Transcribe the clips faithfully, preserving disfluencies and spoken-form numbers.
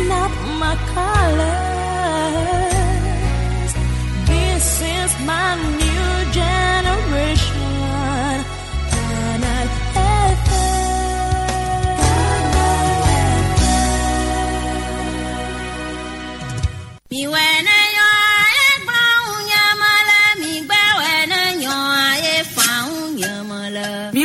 not my colors. This is my new generation. Canal F M. Mi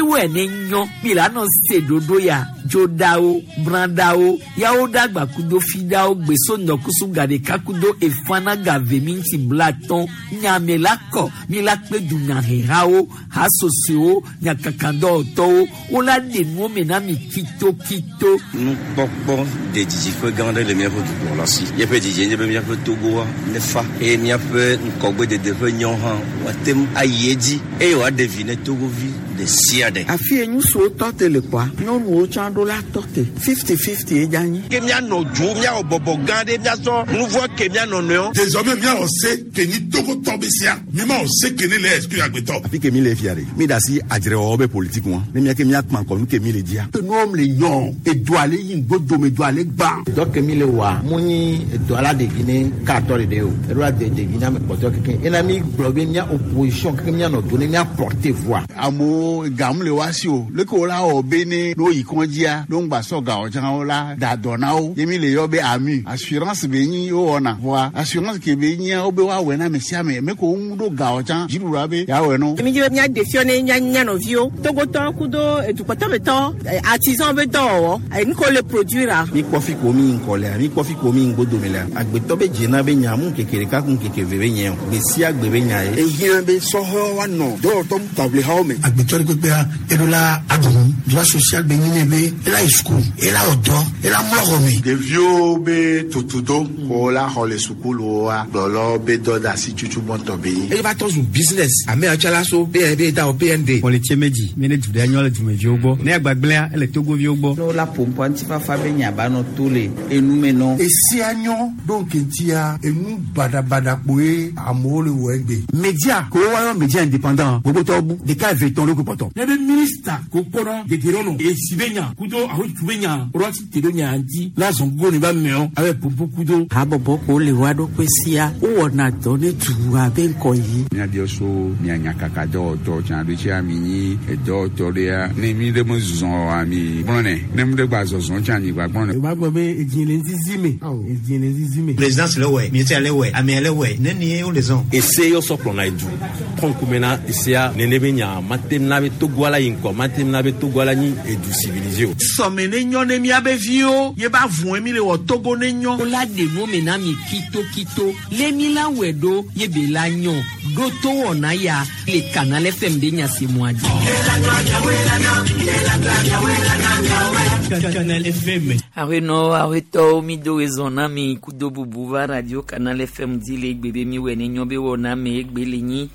wɛ ne nyɔ mi la nɔ se dodo ya dzodawo bradawo yawo dagba kudo fidawo gbeso ŋdɔkusu gaɖeka kudo efana gave mi ŋuti blatɔn nyame la kɔ mi la kpe dunyahehawo hasosowo nyakakadɔwɔtɔwo wola ɖe nuwo me na mi kitokito. Nukpɔkpɔ de didiƒe gã aɖe le míaƒe dukplɔla si. Míaƒe didi nye be míaƒe Togoa nefa eye míaƒe ŋgɔgbedede ƒe nyɔ hã woate ŋu ayi edzi eye wòaɖe vi ne Togovi ɖe sia ɖe. Afi ye ŋutsuwo tɔ te le kpɔa, nyɔnuwo tsã ɖo la tɔ te fifty fifty ye dza nyi. Ke míanɔ dzo, míawɔ bɔbɔ gã ɖe, míasɔ nuvɔ ke míanɔ nɔewo. Désormais míawɔ se ke nyi Togotɔ be sia, mímawɔ se ke ne le exclure agbetɔ. Afi ke mi le fia ɖe, mi da asi adzrewɔwɔ be politique ŋua, ne mía ke míakpã kɔ nu ke mi le dzia. Enuwo le nyɔ, edoa le yi ŋgodome, edoa le gbã. Dɔ ke mi le wɔa, mu nyi edoa la ɖevi ne katɔ ɖeɖe o, eɖo la de ɖevi na ame kpɔtɔ keke. Ena mi gblɔ be mía opposition keke míanɔ do ne mía porter voix. Amewo gamu le wa si o, leke wo la wɔ be ne n'o yi kɔndzia, n'o ŋgba sɔ gawɔ tsã wo la da dɔ na wo. Ye mi le yɔ be ami assurance be nyi wo wɔna voa assurance ke be nyia wo be woawɔe na ame sia ame me ko ŋu ɖo gawɔ tsã dziɖuɖua be yeawɔe no. Mi dzi be mía ɖe fiɔ ne mía mía nɔviwo Togotɔ kudo edukpɔtɔmetɔ artisan be dɔwɔwɔ nu ko le produire. Mi kpɔ fi ko mi ŋkɔ lea, mi kpɔ fi ko mi ŋgodome lea, agbetɔ be dzena be nya mu ŋkeke ɖeka ku ŋkeke ve be nye o, gbe sia gbe be nya ye. Ehiã be sɔhɛwo woanɔ dɔwɔtɔ taʋlihawo me. Agbetɔ ɖe kpekpea eɖo la aɖu droit social be nyi ne be ela yi suku, ela wɔ dɔ, ela mlɔ xɔ me. Ɖeviwo be tutudo ko la xɔ le sukuluwoa gblɔlɔ be dɔ de asi tutu gbɔntɔ be nyi. Eye va tɔ zu business ame yawo la so B N B da o B N D. Xɔlitse medzi mi ne du ɖe nyɔ le dumeviwo gbɔ ne agbagblẽa ele Togoviwo gbɔ. Ne wola ƒoƒoa ŋutifafa be nya ba nɔ to le enume nɔ. Esia nyɔ ɖo ŋkeŋtia enu baɖabaɖa kpoe amewo le wɔ egbe. Media ko woayɔ media indépendant gbogbotɔwo bu ɖeka eve tɔn ɖo kpɔtɔ. Ne be minista ko kpɔnɔ degerɔnɔ esi be nya kudo ahotu be nya wɔrɔti te ɖo nya ŋuti la zɔn gogo ne ba mɛɔ abe popo kudo. Habɔbɔ ko le wa ɖokui sia wowɔna dɔ ne dua be ŋkɔ yi. Míabiɔ so mía nyakaka dɔwɔtɔ tsã ɖo tsia mi nyi edɔwɔtɔ ɖea ne mi ɖe me zɔ oa mi gblɔnɛ ne mi ɖe gba zɔzɔ tsã mi gba gblɔnɛ. O b'a gbɔ be edzi le zizi me edzi le zizi me. Présidence le wɛ, ministère le wɛ, amea le wɛ, ne ni wo le zɔn. Ese yɔ sɔ kplɔna edu kɔnkume na esea nene be nya mate na be Togoa la yi ŋkɔ mate na be Togoa la nyi edu civilisé o. Sɔme ne nyɔ ne miabe viwo ye ba vɔe mi le wɔ Togo ne nyɔ. Wola ɖe nuwo me na mi kitokito le mi la wɔe ɖo ye be la nyɔ ɖo to wɔna ya le Canal F M be nyasemɔa dzi. Canal F M. Awenɔ awetɔwo mi do ezɔ na mi kudo bubu va radio Canal F M dzi le egbe be mi wɔe ne nyɔ be wɔna me egbe le nyi.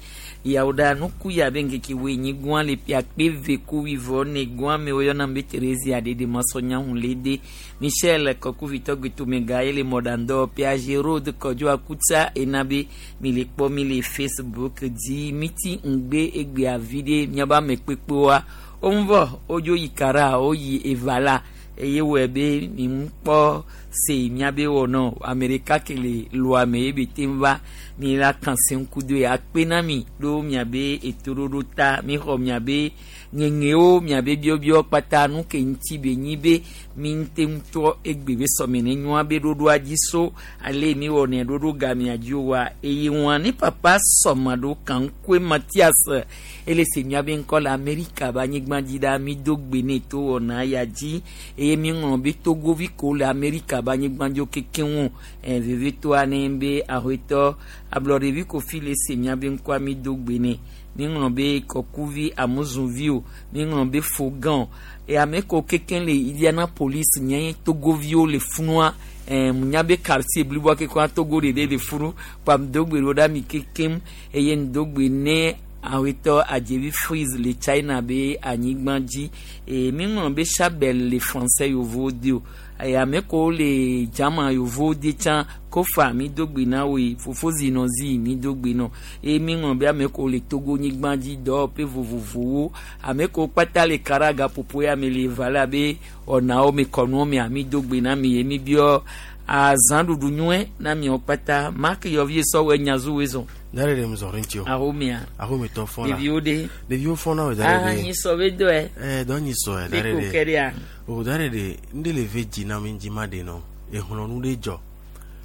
Yawo ɖa nuku ya be ŋkeke woe nyi gɔa le ƒe akpe eve ku wuieve ne gɔa me woyɔna be Theresia ɖeɖe masɔnyahu le de Michel Kɔkuvitɔ gbetomega ye le mɔɖaŋdɔ Piaget Road Kɔdzo Akutsa ena be mi le kpɔ mi le Facebook dzi miti ŋgbe egbea vi ɖe miabe ame kpekpewoa woŋvɔ wodzo yi kara woyi eva la eye wɔe be mi ŋu kpɔ se miabe wɔnɔ ame ɖeka ke le loa me ye be te ŋu va mi la kan se ŋku do ye akpe na mi ɖo miabe etoɖoɖo ta mi xɔ miabe ŋeŋewo miabe biɔbiɔ kpata nu ke ŋuti be nyi be mi ŋute ŋutɔ egbe be sɔme ne nyɔa be ɖoɖoa dzi so ale mi wɔnɛ ɖoɖo gamea dzi wa eye wɔn ne papa sɔme ɖo kaŋkue Mathias ele se miabe ŋkɔ le Amerika be anyigba dzi ɖa mi do gbe ne to wɔna ya dzi eye mi ŋlɔ be Togovi ko le Amerika be anyigba dzo keke ŋu ɛ vevitoa ne be ahoetɔ ablɔɖevi kofi le se miabe ŋkɔa mi do gbe ne mi ŋlɔ be kɔkuvi amuzuvi o mi ŋlɔ be fogan e ame ko keke le Indianapolis nye Togoviwo le funua ɛ nya be quartier bliboa keke Togo ɖeɖe le funu kpam do gbe ɖo ɖa mi kekem eye ŋdo gbe ne awetɔ adzevi freeze le China be anyigba dzi e mi ŋlɔ be Chabel le français yovo de o e ame ko le jama yovo de tsã kofa mi do gbe na woe fofo zinɔzi mi do gbe nɔ eye mi ŋlɔ be ame ko le Togo nyigba dzi dɔwɔƒe vovovowo ame ko kpata le karaga popo ya me le va la be ɔnawo me kɔnuwo mea mi do gbe na mi ye mi biɔ Azãɖuɖu nyuie na miawo kpata Mark yɔvie sɔwɔ nyazuwoe zɔn. Dare ɖe mzɔ ɖe ŋuti o. Ahomea. Ahometɔ fɔna. Ɖeviwo ɖe. Ɖeviwo fɔna o dare ɖe. Ah nyi sɔ be dɔe. Ɛɛ dɔ nyi sɔ dare ɖe. Ɖeko ke ɖea. O dare ɖe ŋɖe le ve dzi na mi dzi ma ɖe nɔ exlɔnu ɖe dzɔ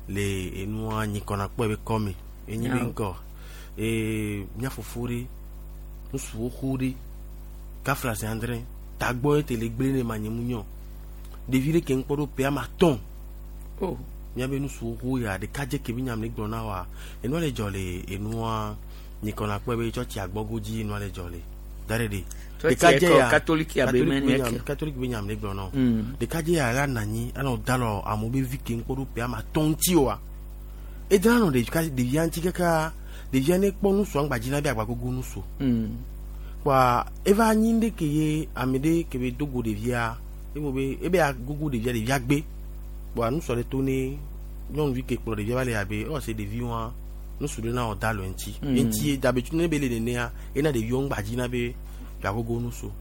le enua nyikɔna kpɔe be kɔme enyi be ŋkɔ ee mía fofo ɖe ŋutsuwo xo ɖe kafla zi adre tagbɔ ete le gblẽ ne ma nye mu nyɔ ɖevi ɖe ke ŋkpɔ ɖo ƒe ama tɔn. Oh. Miabe nusuwo xo ya ɖeka dze ke bi nyam le gblɔ na wa enua le dzɔ le enua nyikɔna kpɔe be tsɔtsi agbɔgo dzi enua le dzɔ le dare ɖe ɖeka dze ya katoliki abe mɛ ne katoliki be nyam le gblɔ na o ɖeka dze ya la nanyi anɔ da lɔ amewo be vi ke ŋkpɔ ɖo ƒe ama tɔn ŋuti oa edra nɔ ɖevia ɖevia ŋuti kaka ɖevia ne kpɔ nusua ŋgba dzi na be agbagogo nusu kpoa eva nyi ɖe ke ye ame ɖe ke be dogo ɖevia ebo be ebe agogo ɖevia ɖevia gbe kpoa nusua ɖe to ne nyɔnuvi ke kplɔ ɖevia va le abe ewɔ se ɖevi wa nusu ɖe na wɔ da lɔ ŋuti ŋuti dabe tsu ne be le nenea ena ɖeviwo ŋgba dzi na be gagogo nusu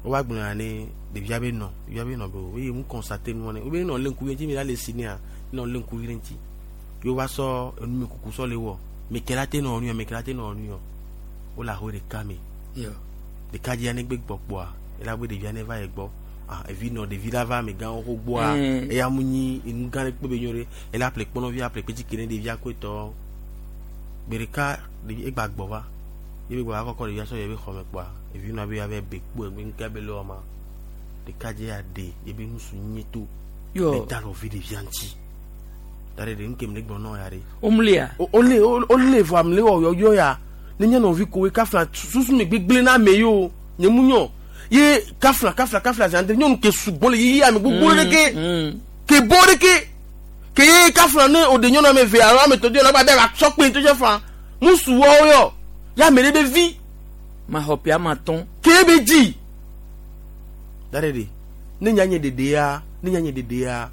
wova gblɔ ya ne ɖevia be nɔ ɖevia be nɔ be o eye mu kɔnsate nua ne wobe nɔ lé ŋkuvi ŋuti mi la le si nea nɔ lé ŋkuvi ɖe ŋuti ye wova sɔ enumekuku sɔ le wɔ meke la te nɔ nu yɔ meke la te nɔ nu yɔ wole aho ɖeka me ɖeka dzia ne gbe gbɔ kpoa ela be ɖevia ne va yi gbɔ. Ah, evi nɔ ɖevi la va amegãwo xo gbɔa eya mu nyi enu gã ɖe kpe be nyo ɖe ela ƒle kpɔnɔvi aƒle kpetsi ke ne ɖevia koe tɔ gbe ɖeka ɖevi egba gbɔ va ye be gbɔ va kɔkɔ ɖevia sɔ yɛ be xɔme kpoa evi nɔ be ave be kpo egbe ŋkɛ be le wɔma ɖeka dze ya ɖe ye be nusu nyi to Yo. da lɔ vi ɖevia ŋuti da ɖe ɖe ŋkem le gbɔ nɔ ya ɖe. Omlia. Ole ole vɔ amle wɔ yɔyɔ ya ne nye nɔvi koe kafla susu me gbegblẽ na ame yiwo nye mu nyɔ. Ye kafla kafla kafla zandre nyɔnu ke sugbɔ le yiyi ame gbogbo ɖe ke ke bo ɖe ke ke ye kafla ne o de nyɔnu ame eve alo ame tɔ de la ba be sɔ kpe to fa musu wɔwo yɔ ya ame ɖe be vi ma xɔ ƒe ama tɔn ke be dzi da ɖe ɖe ne nya nye ɖeɖe ya ne nya nye ɖeɖe ya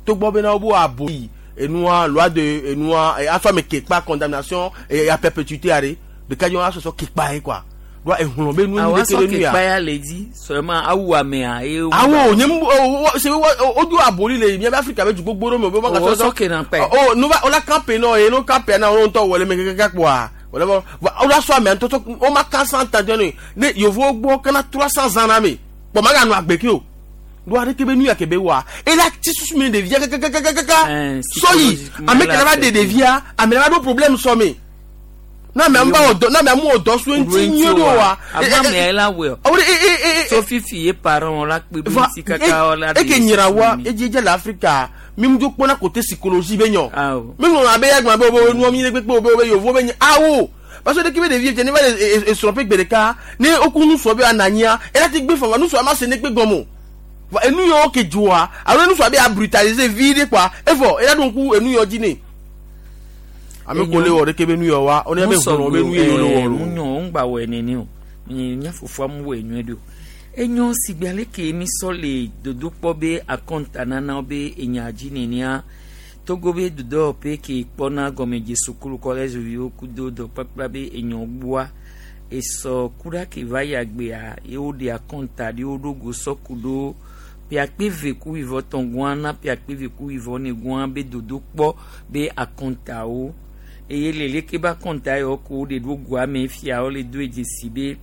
togbɔ bena wo bo abo yi enua loi de enua afɔ ame ke kpa condamnation et à perpétuité aɖe ɖeka dzi wɔn asɔsɔ ke kpa ye quoi. Doit ehlɔn be nu awa ɖe ke sɔ be ke nu ya. kpa ya le dzi seulement awu amea ye. Awo nye mu o se o do aboli le miabe Afrika be du gbogbo ɖe me o be O sɔ ke na kpa. O nu va o la campe nɔ ye no campe na o ŋutɔ wɔ le me keke kpoa o le bɔ o la sɔ amea ŋutɔ o ma quatre cent ans ne ne yevuwo gbɔ kana trois cents ans na me kpɔ ma ganɔ agbe ke o do aɖe ke be nu ya ke be wa ela ti susu mi ɖevia kakakakaka sɔyi ame ke la va ɖe ɖevia ame la va ɖo problème sɔ me. Na me amba odo na me amu odo so nti nyi do wa ama me la we o e e e so fifi ye parents la kpe bi ti kaka la e ke nyira wa e je je l'Afrique mi mu do pona côté psychologie be nyo mi no na be ya gba be o nu mi le pe o be yovo be nyi awo parce que de ki be de vie ne va e so pe gbedeka ne okunu so be ananya e la ti gbe fo nu so ama se ne pe gomo enu yo ke joa alo nu so be a brutaliser vie quoi e fo e la don ku enu yo ji ne ame ko le wɔ ɖeke be nu yɔ wa o ne be hlɔ̃ be nu ye le wɔ lo. Mu nyɔ o ŋgba wɔ nene o nye nya fofoa mu wɔ enyɔe ɖo enyo sigbe ale ke mi sɔ le dodokpɔ be akɔnta nana be enya dzi nenea Togo be dodɔwɔƒe ke kpɔna gɔmedze sukulu kɔlɛzi viwo kudo dɔkpakpla be enyɔ gbɔa esɔ ku ɖa ke va yi agbea ye woɖe akɔnta ɖe woɖo go sɔ ku ɖo ƒe eve ku wivɔ tɔn gɔa na ƒe eve ku wivɔ ne gɔa be dodokpɔ be akɔntawo eye le leke be akɔnta yawo ko woɖe ɖo goa me fia wole do dzesi be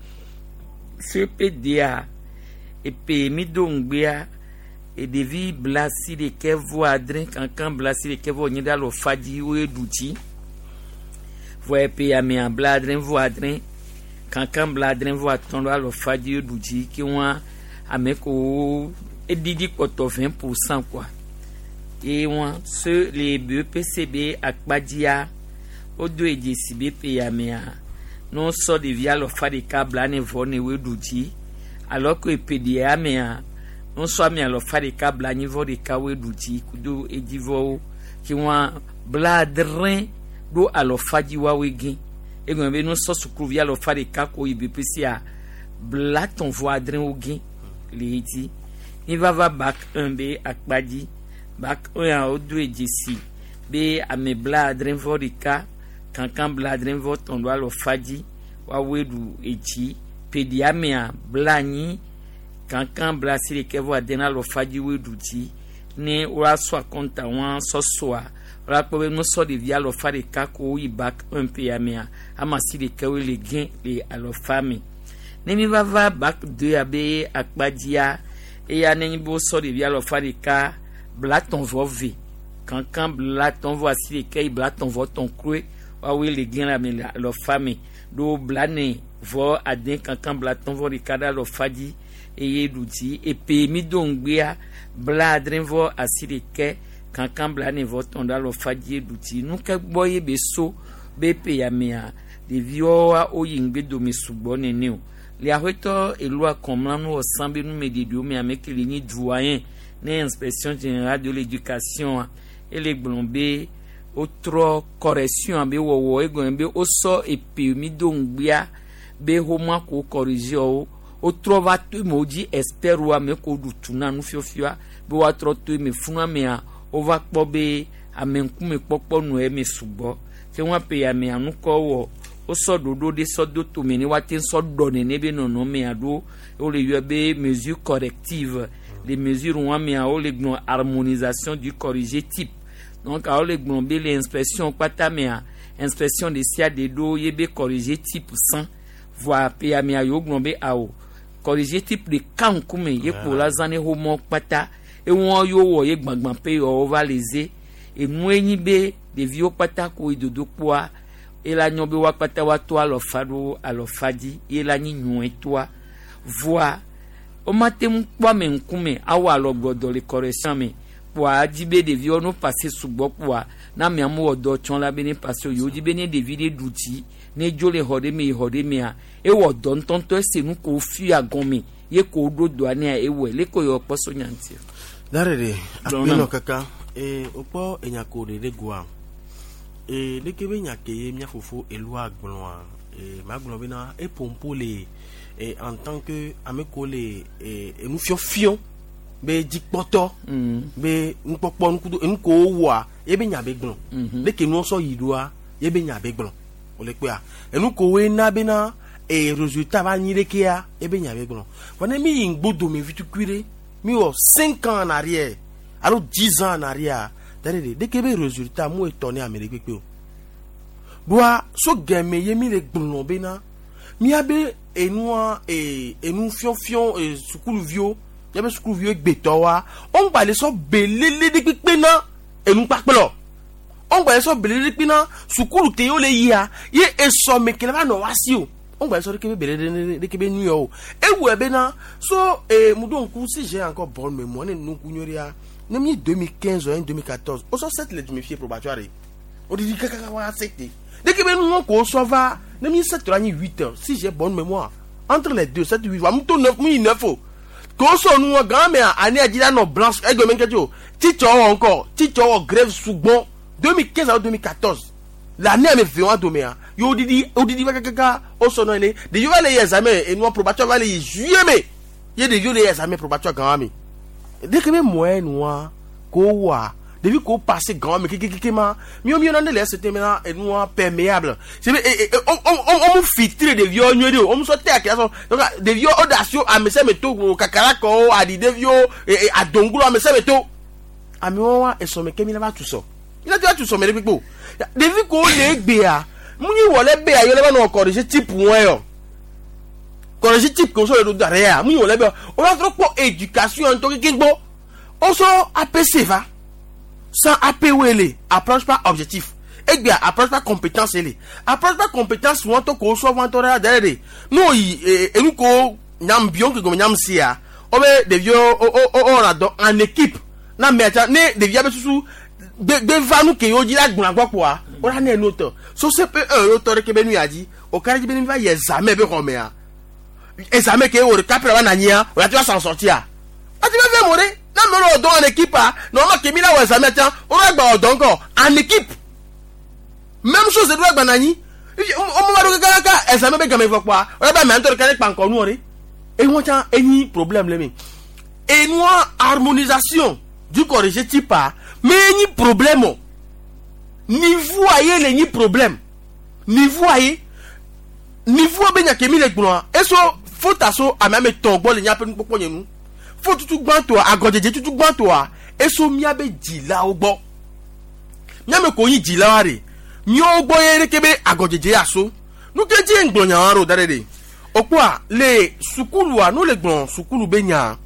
C P D A epe mi do ŋgbea eɖevi blasi ɖeke vɔ adre kankan blasi ɖeke vɔ nyi ɖe alɔ fa dzi woe ɖu dzi vɔ epe amea bla adre vɔ adre kankan bla adre vɔ atɔ̃ ɖo alɔ fa dzi woe ɖu dzi ke wɔn ame ko eɖiɖi kpɔtɔ vingt pour cent quoi eye wɔn se le B P C B akpadzia wodo dzesi be pe amea ne wosɔ ɖevi alɔfa ɖeka bla ne vɔ ne woe ɖu dzi alo ko epe ɖia amea ne wosɔ ame alɔfa ɖeka bla anyi vɔ ɖeka woe ɖu dzi kudo edzivɔwo ke wɔn bla adre ɖo alɔfa dzi woawoe gẽ egɔme be ne wosɔ sukuvi alɔfa ɖeka ko yi B P C a bla tɔn vɔ adre wo gẽ le edzi mi va va bac un be akpa dzi bac un a wodo dzesi be ame bla adre vɔ ɖeka kankan bla adre vɔ tɔn ɖo alɔfa dzi woawoe ɖu edzi peɖiamea bla anyi kankan bla asi ɖeke vɔ ade na alɔfa dzi woe ɖu dzi Ne woasɔ akɔnta wɔn sɔsɔa woakpɔ be nusɔ ɖevi alɔfa ɖeka ko yi bac un pe ya mea ame asi ɖekawoe le gẽ le alɔfa me. Ne mi va va bac deux abe akpa dzia eya ne nyi be wosɔ ɖevi alɔfa ɖeka blatɔn vɔ ve kankan blatɔn vɔ asi ɖeka yi blatɔn vɔ tɔn kloe woawoe le gẽ le ame le alɔfa me ɖo blane vɔ ade kankan blatɔn vɔ ɖeka ɖe alɔfa dzi eye ɖu dzi epe mi do ŋgbea bla adre vɔ asi ɖeke kankan blane vɔ tɔn ɖe alɔfa dzi ɖu dzi nu ke gbɔ ye be so be pe ya mea ɖeviwoa woyi ŋgbe dome sugbɔ nene o le aƒetɔ elu akɔmlanu wɔ san be numeɖeɖewo me ame ke le nyi doyen ne inspection générale de l'éducation ele gblɔ be wotrɔ correction be wɔwɔ egɔme be wosɔ epe mi do ŋgbea be xɔmɔ ko corriger wo wotrɔ va to eme wodzi expert wo ame ko ɖu tu na nufiafia be woatrɔ to eme funu amea wova kpɔ be ame ŋkume kpɔkpɔ nɔ eme sugbɔ ke wɔn ape amea nukɔ wɔ wosɔ ɖoɖo ɖe sɔ do tome ne woate sɔ ɖɔ nene be nɔnɔmea ɖo wole yɔ be mesure corrective les mesures wɔn amea wole gblɔ harmonisation du corrigé type donc wole gblɔ be le inspection kpata mea inspection ɖe sia ɖe ɖo ye be corrigé type cent voa pe amea yewo gblɔ be awo corrigé type ɖeka ŋkume ye kpo la zã ne xɔmɔ kpata ewɔn yewo wɔ ye gbãgbã pe yewo va le ze enue nyi be ɖeviwo kpata ko yi dodo kpoa ela nyɔ be woa kpata woato alɔfa ɖo alɔfa dzi ye la nyi nyuietɔa voa womate ŋu kpɔ ame ŋkume awɔ alɔgbɔdɔ le correction me kpoa dzi be ɖeviwo no passe sugbɔ kpoa na amea mu wɔ dɔ tsɔ la be ne passe o yewo dzi be ne ɖevi ɖe ɖu dzi ne dzo le xɔ ɖe me yi xɔ ɖe mea ewɔ dɔ ŋutɔŋutɔ ese nu ko fia gɔme ye ko ɖo dɔa nea ewɔe le ko yɔ kpɔ so nya ŋuti. Dare de akpenɔ kaka ee wokpɔ enyako ɖe ɖe goa ee leke be nya ke ye mía fofo elua gblɔa ee magblɔ bena epompo le ee en tant que ame ko le ee enufiɔfiɔ be dzikpɔtɔ be nukpɔkpɔ nukudo enu ko wowɔa ye be nya be gblɔ leke nuwo sɔ yi ɖoa ye be nya be gblɔ wòle kpea enu ko woe na bena ee résultat va nyi ɖekea ye be nya be gblɔ vɔ ne mi yi ŋgbodome vi tukui ɖe mi wɔ cinq ans en arrière alo dix ans en arrière dare de ɖeke be résultat mu etɔ ne ame ɖe kpekpe o ɖoa so gɛmɛ ye mi le gblɔ bena miabe enua ee enu fiɔfiɔ ee sukuluviwo miabe sukuluviwo gbetɔwoa woŋgba le sɔ belele ɖe kpekpe na enukpakplɔ woŋgba le sɔ belele ɖe kpekpe na sukulu te yewo le yia ye esɔme ke le va nɔ wa si o woŋgba le sɔ ɖeke be belele ɖeke be nu yɔ o ewɔe bena so ee mu ɖo ŋku si j'ai encore bonne mémoire ne nuku nyuie ɖea ne mi deux mille quinze ou deux mille quatorze wosɔ sept le dumefie probatoire wodidi kakaka wa sept dès que be nu ko sɔ va ne mi sept la nyi huit heures si j'ai bonne mémoire entre les deux sept huit wa mu to neuf mu yi neuf o ko sɔ nu wɔ gan mea année adzi la nɔ blanche egbe me nkɛtɛ o titsɔ wɔ encore titsɔ wɔ grève sugbɔn deux mille quinze alo deux mille quatorze l'année ame ve wa domea ye wodidi wodidi va kakaka wosɔ nɔ ene ɖeviwo va le yi examen enua probatoire va le yi juillet me ye ɖeviwo le yi examen probatoire gan wa me dès que be moyen nua ko wa ɖevi ko passe gan me kekekeke ma miwo miwo nane le ST mena enua perméable c'est be e e o o o mu filtre ɖeviwo nyuie ɖe o o mu sɔ te akia sɔ donc ɖeviwo o da asi ame sia ame to kakara kɔwo aɖi ɖeviwo e e adoŋgolo ame sia ame to amewo wa esɔme ke mi la va tu sɔ mi la ti va tu sɔ me ɖe kpekpe o ɖevi ko le egbea mu nyi wɔ le bea yɔ le va nɔ corriger type wɔn yɔ corriger type ko sɔ le do da ɖe ya mu nyi wɔ le bea o va trɔ kpɔ éducation ŋutɔ keke gbɔ o sɔ APC va sans AP wele approche par objectif egbea approche par compétence ele approche par compétence wɔn tɔ ko sɔ wɔn tɔ ɖe da ɖe de n'o yi ee enu ko nyam bion ke gɔme nyam sia o be ɖeviwo o o o o na dɔ en équipe na mɛ tsa ne ɖevia be susu gbe gbe va nu ke yewo dzi la gblɔ agbɔ kpoa o la ne enu tɔ so CP un yewo tɔ ɖe ke be nu ya dzi o ka ɖe dzi be ne va yi examen be xɔmea examen ke wo ɖeka ƒe va na nyia o la ti va s'en sortir ati va fɛ mo ɖe na me le dɔn en équipe a normalement ke mi la wɔ examen tsa o la gba wɔ dɔn kɔ en équipe même chose ɖo agba na anyi o mo va ɖo kakaka examen be game vɔ kpoa o la ba mɛ ŋutɔ ɖeka ɖe kpa ŋkɔ nuwɔ ɖe eŋu tsa enyi problème le mi enua harmonisation du corrigé type a mais enyi problème o niveau aye le nyi problème niveau aye niveau be nya ke mi le gblɔa eso fota so ame ame tɔn gbɔ le nyaƒe nukpɔkpɔ nye nu fo tutu gbãtɔa agɔdzedze tutu gbãtɔa Eso miabe dzilawo gbɔ. Miame ko nyi dzilawa ɖe. Miawo gbɔ ye ɖeke be agɔdzedze aso. Nu ke dzi ŋgblɔ nyawa ɖo da ɖe ɖe. Okpoa le sukulua no le gblɔ sukulu be nya.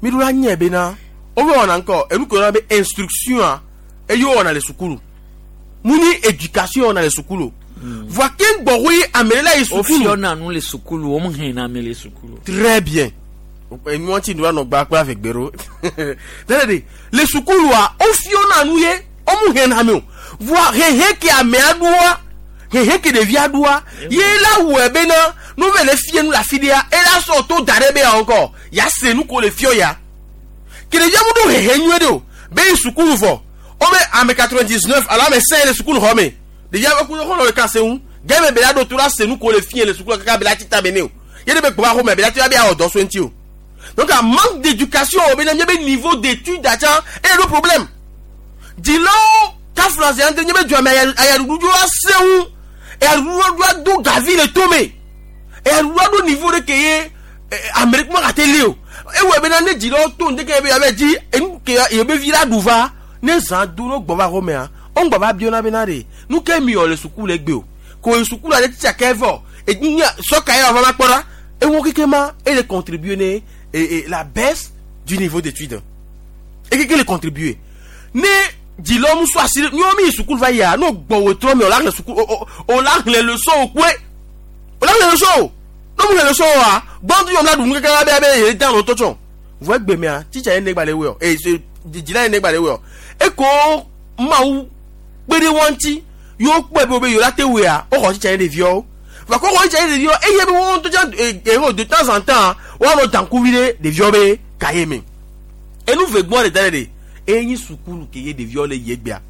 Mi ɖo la nye bena wobe wɔna ŋkɔ enu ke wɔna be instruction a eye wɔna le sukulu. Mu ni éducation wɔna le sukulu. Voa ke ŋgbɔ woe ame ɖe la yi sukulu. Wofiɔna nu le sukulu wo hena ame le sukulu. Très bien. Enu ŋuti nu anɔ gba kple avegbero. Tẹ́lẹ̀ de le sukulua wofiɔna nu ye womu hena ame o. Voa hehe ke amea ɖoa hehe ke ɖevia ɖoa ye la wɔe bena nu ve le fie nu le afi ɖea ela sɔ to da ɖe be ya ŋkɔ ya se nu ko le fiɔ ya. Ke ɖevia mu ɖo hehe nyuie ɖe o be yi sukulu vɔ wobe ame quatre-vingt-dix-neuf alo ame cinq le sukulu xɔ me ɖevia be ku xɔlɔ ɖeka se ŋu gɛmɛ be la ɖo to la se nu ko le fie le sukulu kaka be la tsi ta be ne o ye ɖe be gbɔ xɔ me be la ti be awɔ dɔ so ŋuti o. Donc un manque d'éducation o be na nye be niveau d'étude atsa eye ɖo problème. Dzilawo kafla zi ante nye be dua me ayaɖuɖu la se ŋu eyaɖuɖu la do gavi le tome eyaɖuɖu la ɖo niveau ɖe ke ye ame ɖe kuma gate li o. Ewɔ bena ne dzilawo to ŋdeke be yabe dzi enu ke yebe vi la ɖu va ne zã do no gbɔ va xɔ mea wo ŋgbɔ va biona bena ɖe nu ke mi wɔ le suku le gbe o ko yi suku la ɖe titsa ke vɔ enya sɔka ye wòava va kpɔ ɖa ewo keke ma ele contribuer ne et, et la baisse du niveau d'études et keke le contribuer ne dzilawo mu sɔ asi ɖe miwo mi yi sukulu va yia no gbɔ wòtrɔ mi o la xlẽ sukulu o o la xlẽ leçon o koe o la xlẽ leçon o no mu xlẽ leçon oa gbɔntu yɔm la ɖu nu keke la be abe ye dan lo tɔtsɔ vɔ egbe mea titsa ye negba le wɔ e dzila ye negba le wɔ eko mawu kpe ɖe wɔn ŋuti yewo kpɔe be wo be yewo la te wɔa woxɔ titsa ye ɖeviawo va kɔ xɔ titsa ye ɖeviawo eye be wɔn ŋutɔ tsa eho de temps en temps woanɔ dankuvi ɖe ɖeviawo be kaye me enu ve gbɔ ɖe da ɖe ɖe enyi sukulu ke ye ɖeviawo le yi egbea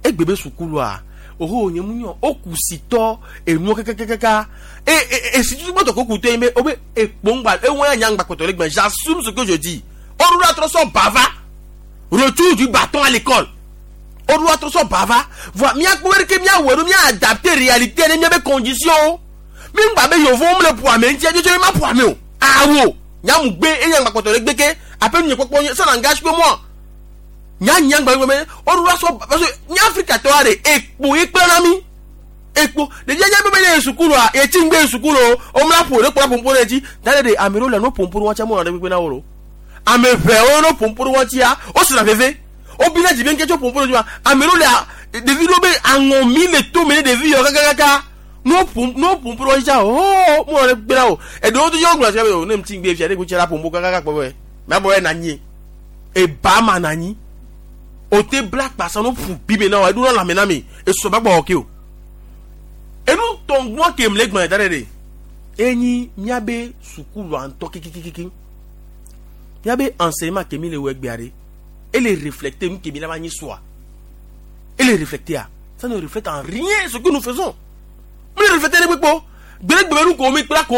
egbe be sukulua oho nye mu nyɔ okusitɔ enuwo kakakaka e e esi tutu gbɔtɔ ko kutɔ yin be o be ekpongba ewɔn ya nyagba kpɔtɔ le gbɛ j'assume ce que je dis oɖo atrɔ sɔ bava retour du bâton à l'école oɖo atrɔ sɔ bava voa miakpɔ be ke miawɔ ɖo mia adapter réalité ne miabe condition mi ŋgba be yevowo mu le ƒo ame ŋuti edzodzo ma ƒo ame o awo nyamu gbe eye nyagba kpɔtɔ le gbe ke aƒe nu nye kpɔkpɔ nye ça n'engage que moi nya nyagba gbe be oɖo asɔ parce que nye Afrika tɔ aɖe ekpo ye kple na mi ekpo ɖevia nye be be ye sukulua yetsi ŋgbe ye sukulu o womla ƒo ɖe kplɔ ƒoƒo ɖe dzi da ɖe ɖe ame ɖewo le no ƒoƒo ɖe wɔtsia mo nɔ ɖe kpekpe na wo lo ame ʋewo no ƒoƒo ɖe wɔtsia wosina veve wobina dzi be ŋke tso ƒoƒo ɖe dzi ma ame ɖewo le ɖevi ɖewo be aŋɔmi le tome ne ɖevi yɔ kakakaka no ƒo no ƒoƒo ɖe wɔtsia o mo nɔ ɖe kpekpe na wo eɖewo to yɔ gblɔ sia be o ne ŋuti ŋgbe fia ɖe kutsia la ƒoƒo kakaka kpɔ be mɛ bɔ yɛ na nyi eba ma na nyi o te bla kpasa no ƒu bibe na wa eɖo na lãme na mi esɔ ba gbɔ ke o enu tɔngbɔn ke mle gbɔn da ɖe ɖe enyi miabe sukulua ŋutɔ kikikiki miabe enseignement ke mi le wɔ egbea ɖe ele reflecter nu ke mi la va nyi soa ele reflecter a ça ne reflète en rien ce que nous faisons mi le reflecter ne kpekpe gbeɖegbe nu ko mi kpla ko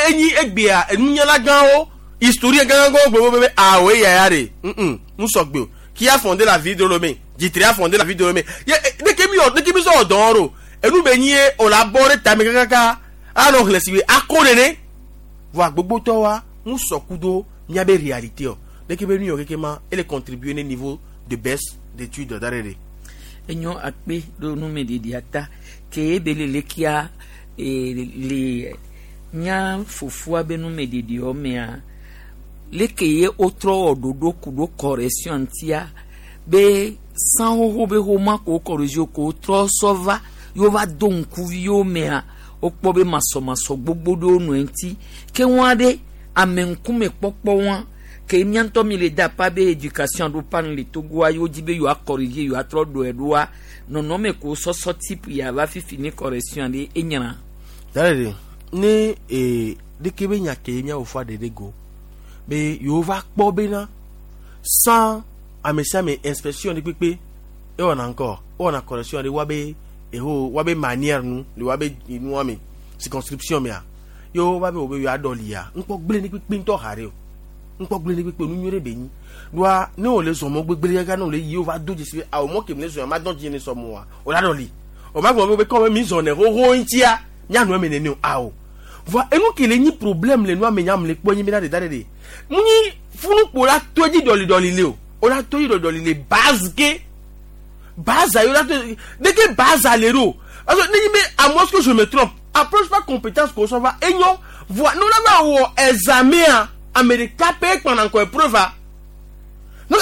enyi egbea enunyala gãwo historien gãgãwo gbogbo be awo eya ya ɖe ŋ nusɔgbe o qui a fondé la ville de Lomé Djitri a fondé la ville de Lomé ye deke mi yɔ deke mi sɔ dɔn ro enu be nyi ye o la bɔ ɖe tame kakaka anɔ xlẽ si be ako nene voa gbogbotɔ wa ŋu sɔ kudo miabe réalité o deke be nu yɔ keke ma ele contribuer ne niveau de baisse d'études da ɖe ɖe. Enyo akpe ɖo numeɖeɖia ta ke ebe le lekia e, le mía fofoa be numeɖeɖewo mea leke ye wotrɔ wɔ ɖoɖo ku ɖo correction ŋutia be san xoxo be xoma ko correction ko wotrɔ sɔ va yewo va do ŋkuvi yewo mea wokpɔ be masɔmasɔ gbogbo ɖewo nɔ eŋuti ke wɔn aɖe ame ŋkume kpɔkpɔ wɔn ke mía ŋutɔ mi le da pa be éducation ɖo pa nu le Togoa yewo dzi be yewoa corriger yewoatrɔ ɖɔe ɖoa nɔnɔme ko sɔsɔ type ya va fifi ne correction ɖe enyra. Da ɖe ɖe ne ee ɖeke be nya ke mía fofoa ɖe ɖe go be yewo va kpɔ bena sans ame sia ame inspection ɖe kpekpe ewɔna ŋkɔ ewɔna correction ɖe woabe eho woabe manière nu le woabe nua me circonscription mea yewo va be wo be yewoa ɖɔ lia ŋkpɔ gblẽ ɖe kpekpe ŋutɔ ha ɖe o ŋkpɔ gblẽ ɖe kpekpe nu nyuie ɖe be nyi ɖoa ne wòle zɔ mɔ gbegblẽ kaka ne wòle yi wo va do dzesi be awo mɔ ke mi le zɔ ya ma dɔn dzi ne sɔ mɔ wa o la ɖɔ li o ma gblɔ be kɔ be mi zɔ ne xoxo ŋutia mianɔ eme nene o awo Voa enu ke le nyi problème le nua me nyam le kpɔ nyi bena de da de de. Mu nyi funukpo la to dzi ɖɔliɖɔli le o. O la to dzi ɖɔliɖɔli le base ke. Base ayo la to dès que base ale ɖo. Parce que ne nyi be à moins que je me trompe, approche pas compétence ko sɔ va enyo. Voa nu la va wɔ examen ame ɖeka pɛ kpana ŋkɔ épreuve a. Donc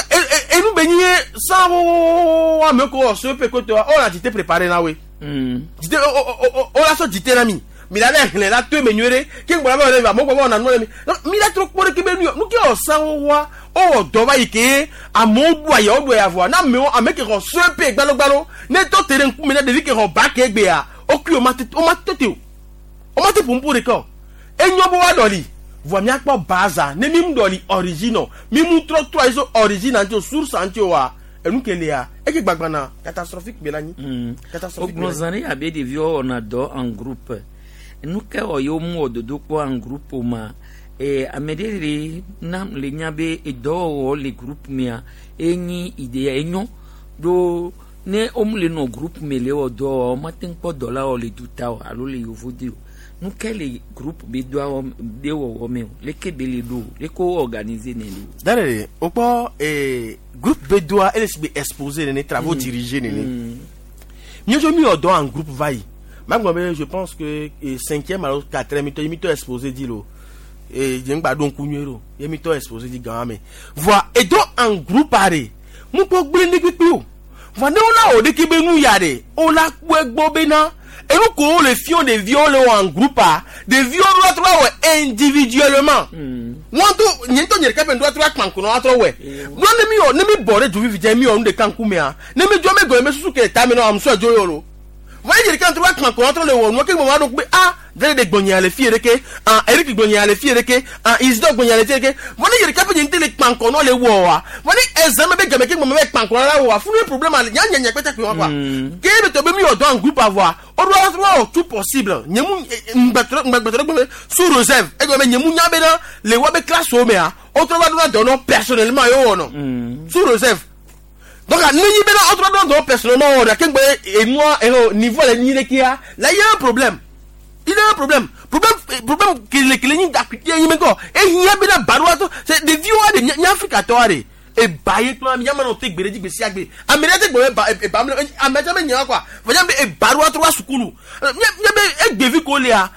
enu be nyi sans wo ame ko wɔ CEP ko tɔ o la dite préparé na we. Dite o o o la sɔ dite na mi. Mi la bɛ hlẽ la to eme nyuie ɖe ke ŋgbɔ la bɛ wɔ ɖe amewo gbɔ bɛ wɔna nu ɖe mi. Donc mi la trɔ kpɔ ɖe ke be nu yɔ nu ke wɔ san wo wa o wɔ dɔ va yi ke amewo ɖu aya wo ɖu aya vɔa na amewo ame ke xɔ CEP gbalogbalo ne tɔ te ɖe ŋkume na ɖevi ke xɔ bac egbea o kui o ma te o ma tete o o ma te ƒoƒo ɖeka o enyo be wa ɖɔli voa miakpɔ baza ne mi mu ɖɔli origine mi mu trɔ trɔ ayi so origine ŋuti o source ŋuti o wa enu ke lia eke gbagbana catastrophique be la nyi. Catastrophique be la ogblɔ nyi. zã ɖe abe ɖeviwo wɔna dɔ en groupe nu ke wɔ yewo mu wɔ dodokpɔ en groupe o ma eh, ame ɖe le nam le nya be edɔwɔwɔ le groupe mea enyi idea enyo ɖo ne womu le nɔ groupe me le wɔ dɔ wɔa womate ŋu kpɔ dɔ la wɔ le duta o alo le yovode o nu ke le groupe be dɔa wɔ be wɔwɔ me o leke be le ɖo o leke wo organiser ne le o. Dare o kpɔ eh, groupe be doa ele si be exposé nene travaux Mm. dirigés nene. Mieux mi wɔ dɔ en groupe va yi. Magblɔ be je pense que eh, cinquième alo quatrième mi tɔ mi tɔ exposé di lo. Eh, je ŋgba ɖo ŋku nyuie ɖo. Ye mi tɔ exposé di gã me. Voa edo en groupe aɖe mu kpɔ gblẽ ne kpekpe o. Voa ne wona wɔ ɖeke be nu ya ɖe o la kpɔe gbɔ bena enu ko wo le fiɔ ɖeviwo le wɔ en groupe a ɖeviwo ɖo la trɔ wɔ individuellement. Wọn tó nye ŋutɔ nye ɖeka ƒe ŋdɔ trɔ akpankuna wa trɔ wɛ. Nɔ ne mi wɔ ne mi bɔ ɖe dzovivi dze mi wɔ nu ɖeka ŋkumea ne mi dzɔ mi gɔme mi susu ke le tame na amusɔ dzo yɔ lo. Vɔ ye ɖeka trɔ akpankuna trɔ le wɔ nua ke gbɔmɔ aɖo kpe a dre de gbɔnya le fie ɖeke ah Eric gbɔnya le fie ɖeke ah Isidore gbɔnya le fie ɖeke vɔ ne ye ɖeka ƒe nye ŋutɔ le kpankɔnɔ le wɔ wa vɔ ne examen be game ke gbɔmɔ be kpankɔnɔ la wɔ wa funu ye problème ale nya nya nya kpɛtɛ kpe wa quoi. Ke ye be tɔ be mi wɔ dɔ en groupe avɔa o do wa wɔ tout possible nye mu ŋgbɛtɔ ŋgbɛtɔ gbɔmɔ sous réserve egɔme be nye mu nya bena le wa be classe wo mea o trɔ va do na dɔ nɔ personnellement ye wɔ nɔ sous réserve donc ne nyi bena o trɔ do dɔ personnellement wɔ ɖe ke ŋgbɛ enua eho niveau le nyi ɖe kia la y a un problème il y a un problème problème problème kele kele nyi akutie nyi mekɔ ehiã bena baɖoa to c'est ɖeviwo aɖe nya Afrika tɔ aɖe eba ye kple ame nyama nɔ te gbe ɖe dzi gbe sia gbe ame ɖe te gbe be eba eba ame ame tse be nya kɔa fɔdza be eba ɖoa trɔ va sukulu nye nye be egbevi ko lia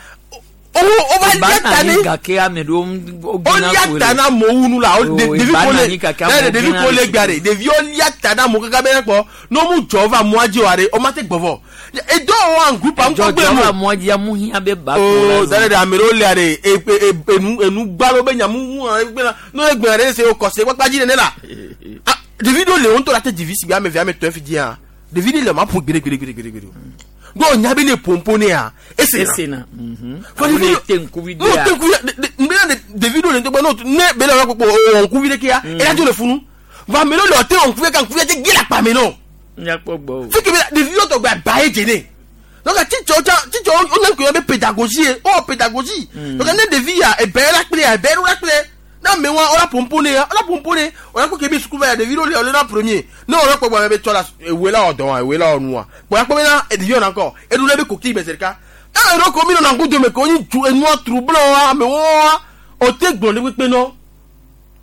o o va lia ta Eba ne na gake ame ɖewo o lia ta na amewo nu la o O, ɖevi eba ko na le anyi gake ne amewo ɖevi gena ko le le gbea ɖe ɖeviwo lia ta na amewo kaka be ne kpɔ ne wo mu dzɔ va amewoa dzi oa ɖe o ma te gbɔ vɔ edo wɔ en groupe am kɔ gbe dzɔdzɔ mo va mɔ dzi amu hiã be ba oo dale de ame ɖewo lia ɖe e e enu enu gbalo be nyamu ŋu egbe na ne egbe ɖe se o kɔse kpakpa dzi nene la ah ɖevi ɖewo le wo ŋutɔ la te dzivi si be ame eve ame etɔ̃ fi dzia ɖevi ɖe le ma ƒo gbeɖe gbeɖe gbeɖe gbeɖe gbeɖe o do nya be ne pompo ne ya ese na esena fɔ ɖevi ame te ŋkuvi n'o dea te ŋkuvi de de nbena de ɖevi ɖewo le ŋutɔ gbɔ n'o ne be le kpɔkpɔ o ŋkuvi ɖe kia eya dzo le funu vɔ ame ɖewo le ɔte wɔ ŋkuvi ka ŋkuvi te ge le akpa me nɔ nyakpɔ gbɔ o fi ke be ɖeviwo tɔgbe aba ye dze ne donc titsɔ tsa titsɔ wo ne ŋkunya be pédagogie ye o wɔ pédagogie donc ne ɖevi ya ebe la kple ya ebe la kple ne ame wa o la pompo ne ya o la pompo ne o la ko ke bi suku va ya ɖevi ɖewo le o le na premier ne o la kpɔ gbɔ be tsɔ la ewoe la wɔ dɔn wa ewoe la wɔ nua kpɔ ya kpɔ be na ɖeviwo na kɔ eɖo le be koki me zi ɖeka eye ɖo ko mi nɔ na ŋku dome ko nyi tu enua trouble wa amewo wa o te gblɔ ne kpekpe nɔ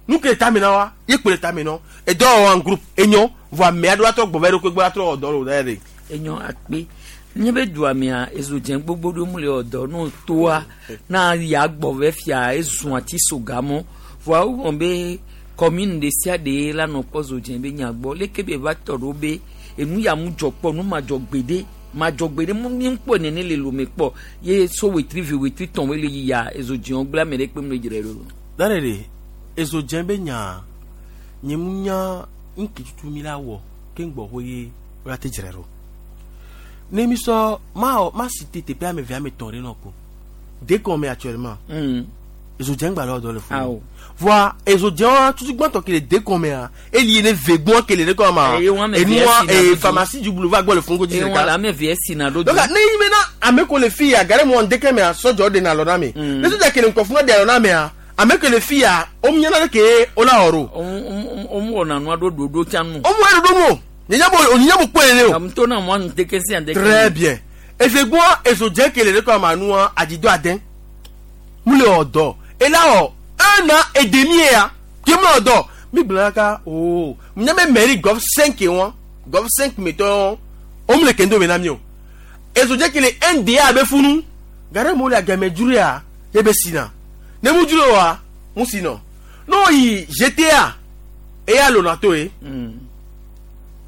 nu ke le tame na wa ye kpe le tame nɔ edɔ wɔ en groupe enyo vɔ ame aɖewo atrɔ gbɔ va eɖokui gbɔ atrɔ wɔ dɔ le o da yɛ de. enyo akpe nye be dua mea ezo dze gbogbo ɖewo mu le wɔ dɔ n'o toa na ya gbɔ vɛ fia ezu ati so gamɔ voa wowɔ be commune ɖe sia ɖe la nɔ kpɔ zo dze be nya gbɔ leke be va tɔ ɖo be enu ya mu dzɔ kpɔ nu ma dzɔ gbeɖe ma dzɔ gbeɖe mu mi kpɔ nene le lome kpɔ ye so wetri ve wetri tɔn wele yia ezo dzewo gblẽ ame ɖe kpe mu le dzre ɖo. Dare de ezo dze be nya nye mu nya ŋke tutu mi la wɔ ke ŋgbɔ ho ye wo la te dzre ɖo ne mi sɔ ma wɔ ma si te teƒe ame eve ame etɔ̃ ɖe nɔ ko dekɔme actuellement ezo dze ŋgba le wɔ dɔ le funu Awo. voa ezo dze wa tutu gbãtɔ ke le dekɔmea eli ne ve gbɔn ke le dekɔme ma Eye wo ame eve enua esi na ee ɖo pharmacie du boulevard gbɔ le funu ko dzi eye ɖeka wɔn la ame eve esi na ɖo donc ne yi bena ame ko le fi ya gare mo ndeke mea sɔdzɔ de na lɔ na me ne sɔdza kele nkɔfu na de alɔ na mea ame ke le fi ya o miana ɖe ke o la wɔ ɖo womu wɔna nua ɖo ɖoɖo tsa nu. o mu ɖoɖo mu o nyanya bo o nyanya bo kpɔe ne o. Amu na mo ŋdeke sia ŋdeke. très bien efegbɔ ezo dze kele ɖe kɔ ma nua adzido ade Mu le wɔ dɔ ela wɔ un an et demi ya ke mu le wɔ dɔ mi gblɔ ka o nya be mairie Golf cinq wɔn Golf cinq me tɔ o mu le kendo me na mi o ezodze ke le N D A be funu gare mo le agame dzro ya ye be sina ne mu dzro wa mu sinɔ n'o yi G T A eya lona to ye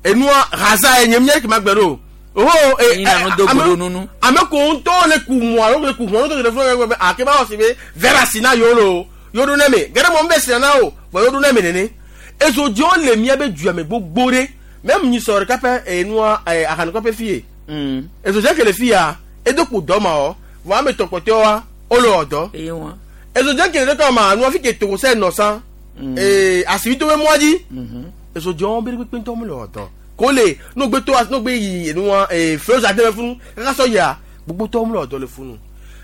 enua raza ye nye mi ke ma gbɛ do oho e Yina no do gbolo nunu. Ame ko ŋutɔ le ku mu alo le ku hu alo le fún ẹ ake ba wɔ si be vera sina yio lo yio do ne me gɛrɛ mɔ n bɛ sina na o bɔn yio do ne me nene ezodziwo le mía be dua me gbogbo ɖe même nyisɔ ɖeka ƒe enua ɛ ahanukɔƒe fi ye ezodze ke le fi ya edo kpo dɔ ma wɔ vɔ ame tɔ kpɔtɔewoa wole wɔ dɔ ezodze ke le ɖeka ma nua fi ke togosɛ nɔ san ee asibito be mɔa dzi ezodzewo be kpekpe ŋutɔ mele wɔ dɔ ko le n'o gbe to n'o gbe yi enua ee feu ade funu kaka sɔ yia gbogbo tɔwo mele wɔ dɔ le funu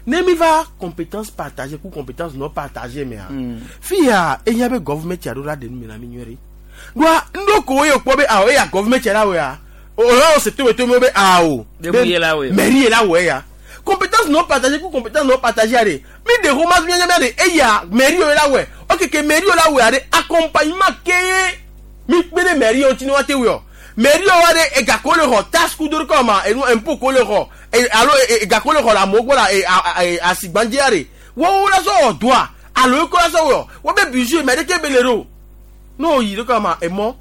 ne mi va compétence partagée ku compétence non partagée mea fi ya eya be government ya ɖo la ɖe nu me na mi nyuie ɖe doa ŋɖo ko ye kpɔ be awɔ eya government ya la wɔ ya o la wɔ se to to me be awo Be mu ye la wɔ. Mairie ye la wɔ ya compétence non partagée ku compétence non partagée ya de mi de romance mi nya de eya mairie ye la wɔ ok ke mairie la wɔ ya de accompagnement ke ye mi kpe ɖe mairie ŋuti ne woate wɔ mairie wa de ega ko le xɔ taxe ku do ɖe kɔ ma enu impôt ko le xɔ e alo e- ega ko le xɔ le amewo gbɔ la e a- e asigbãdzia de wowo la sɔ wɔ dɔa alo eko la sɔ wɔ wo be budget mɛ ɖeke be le ɖo n'o yi ɖe kɔ ma emɔ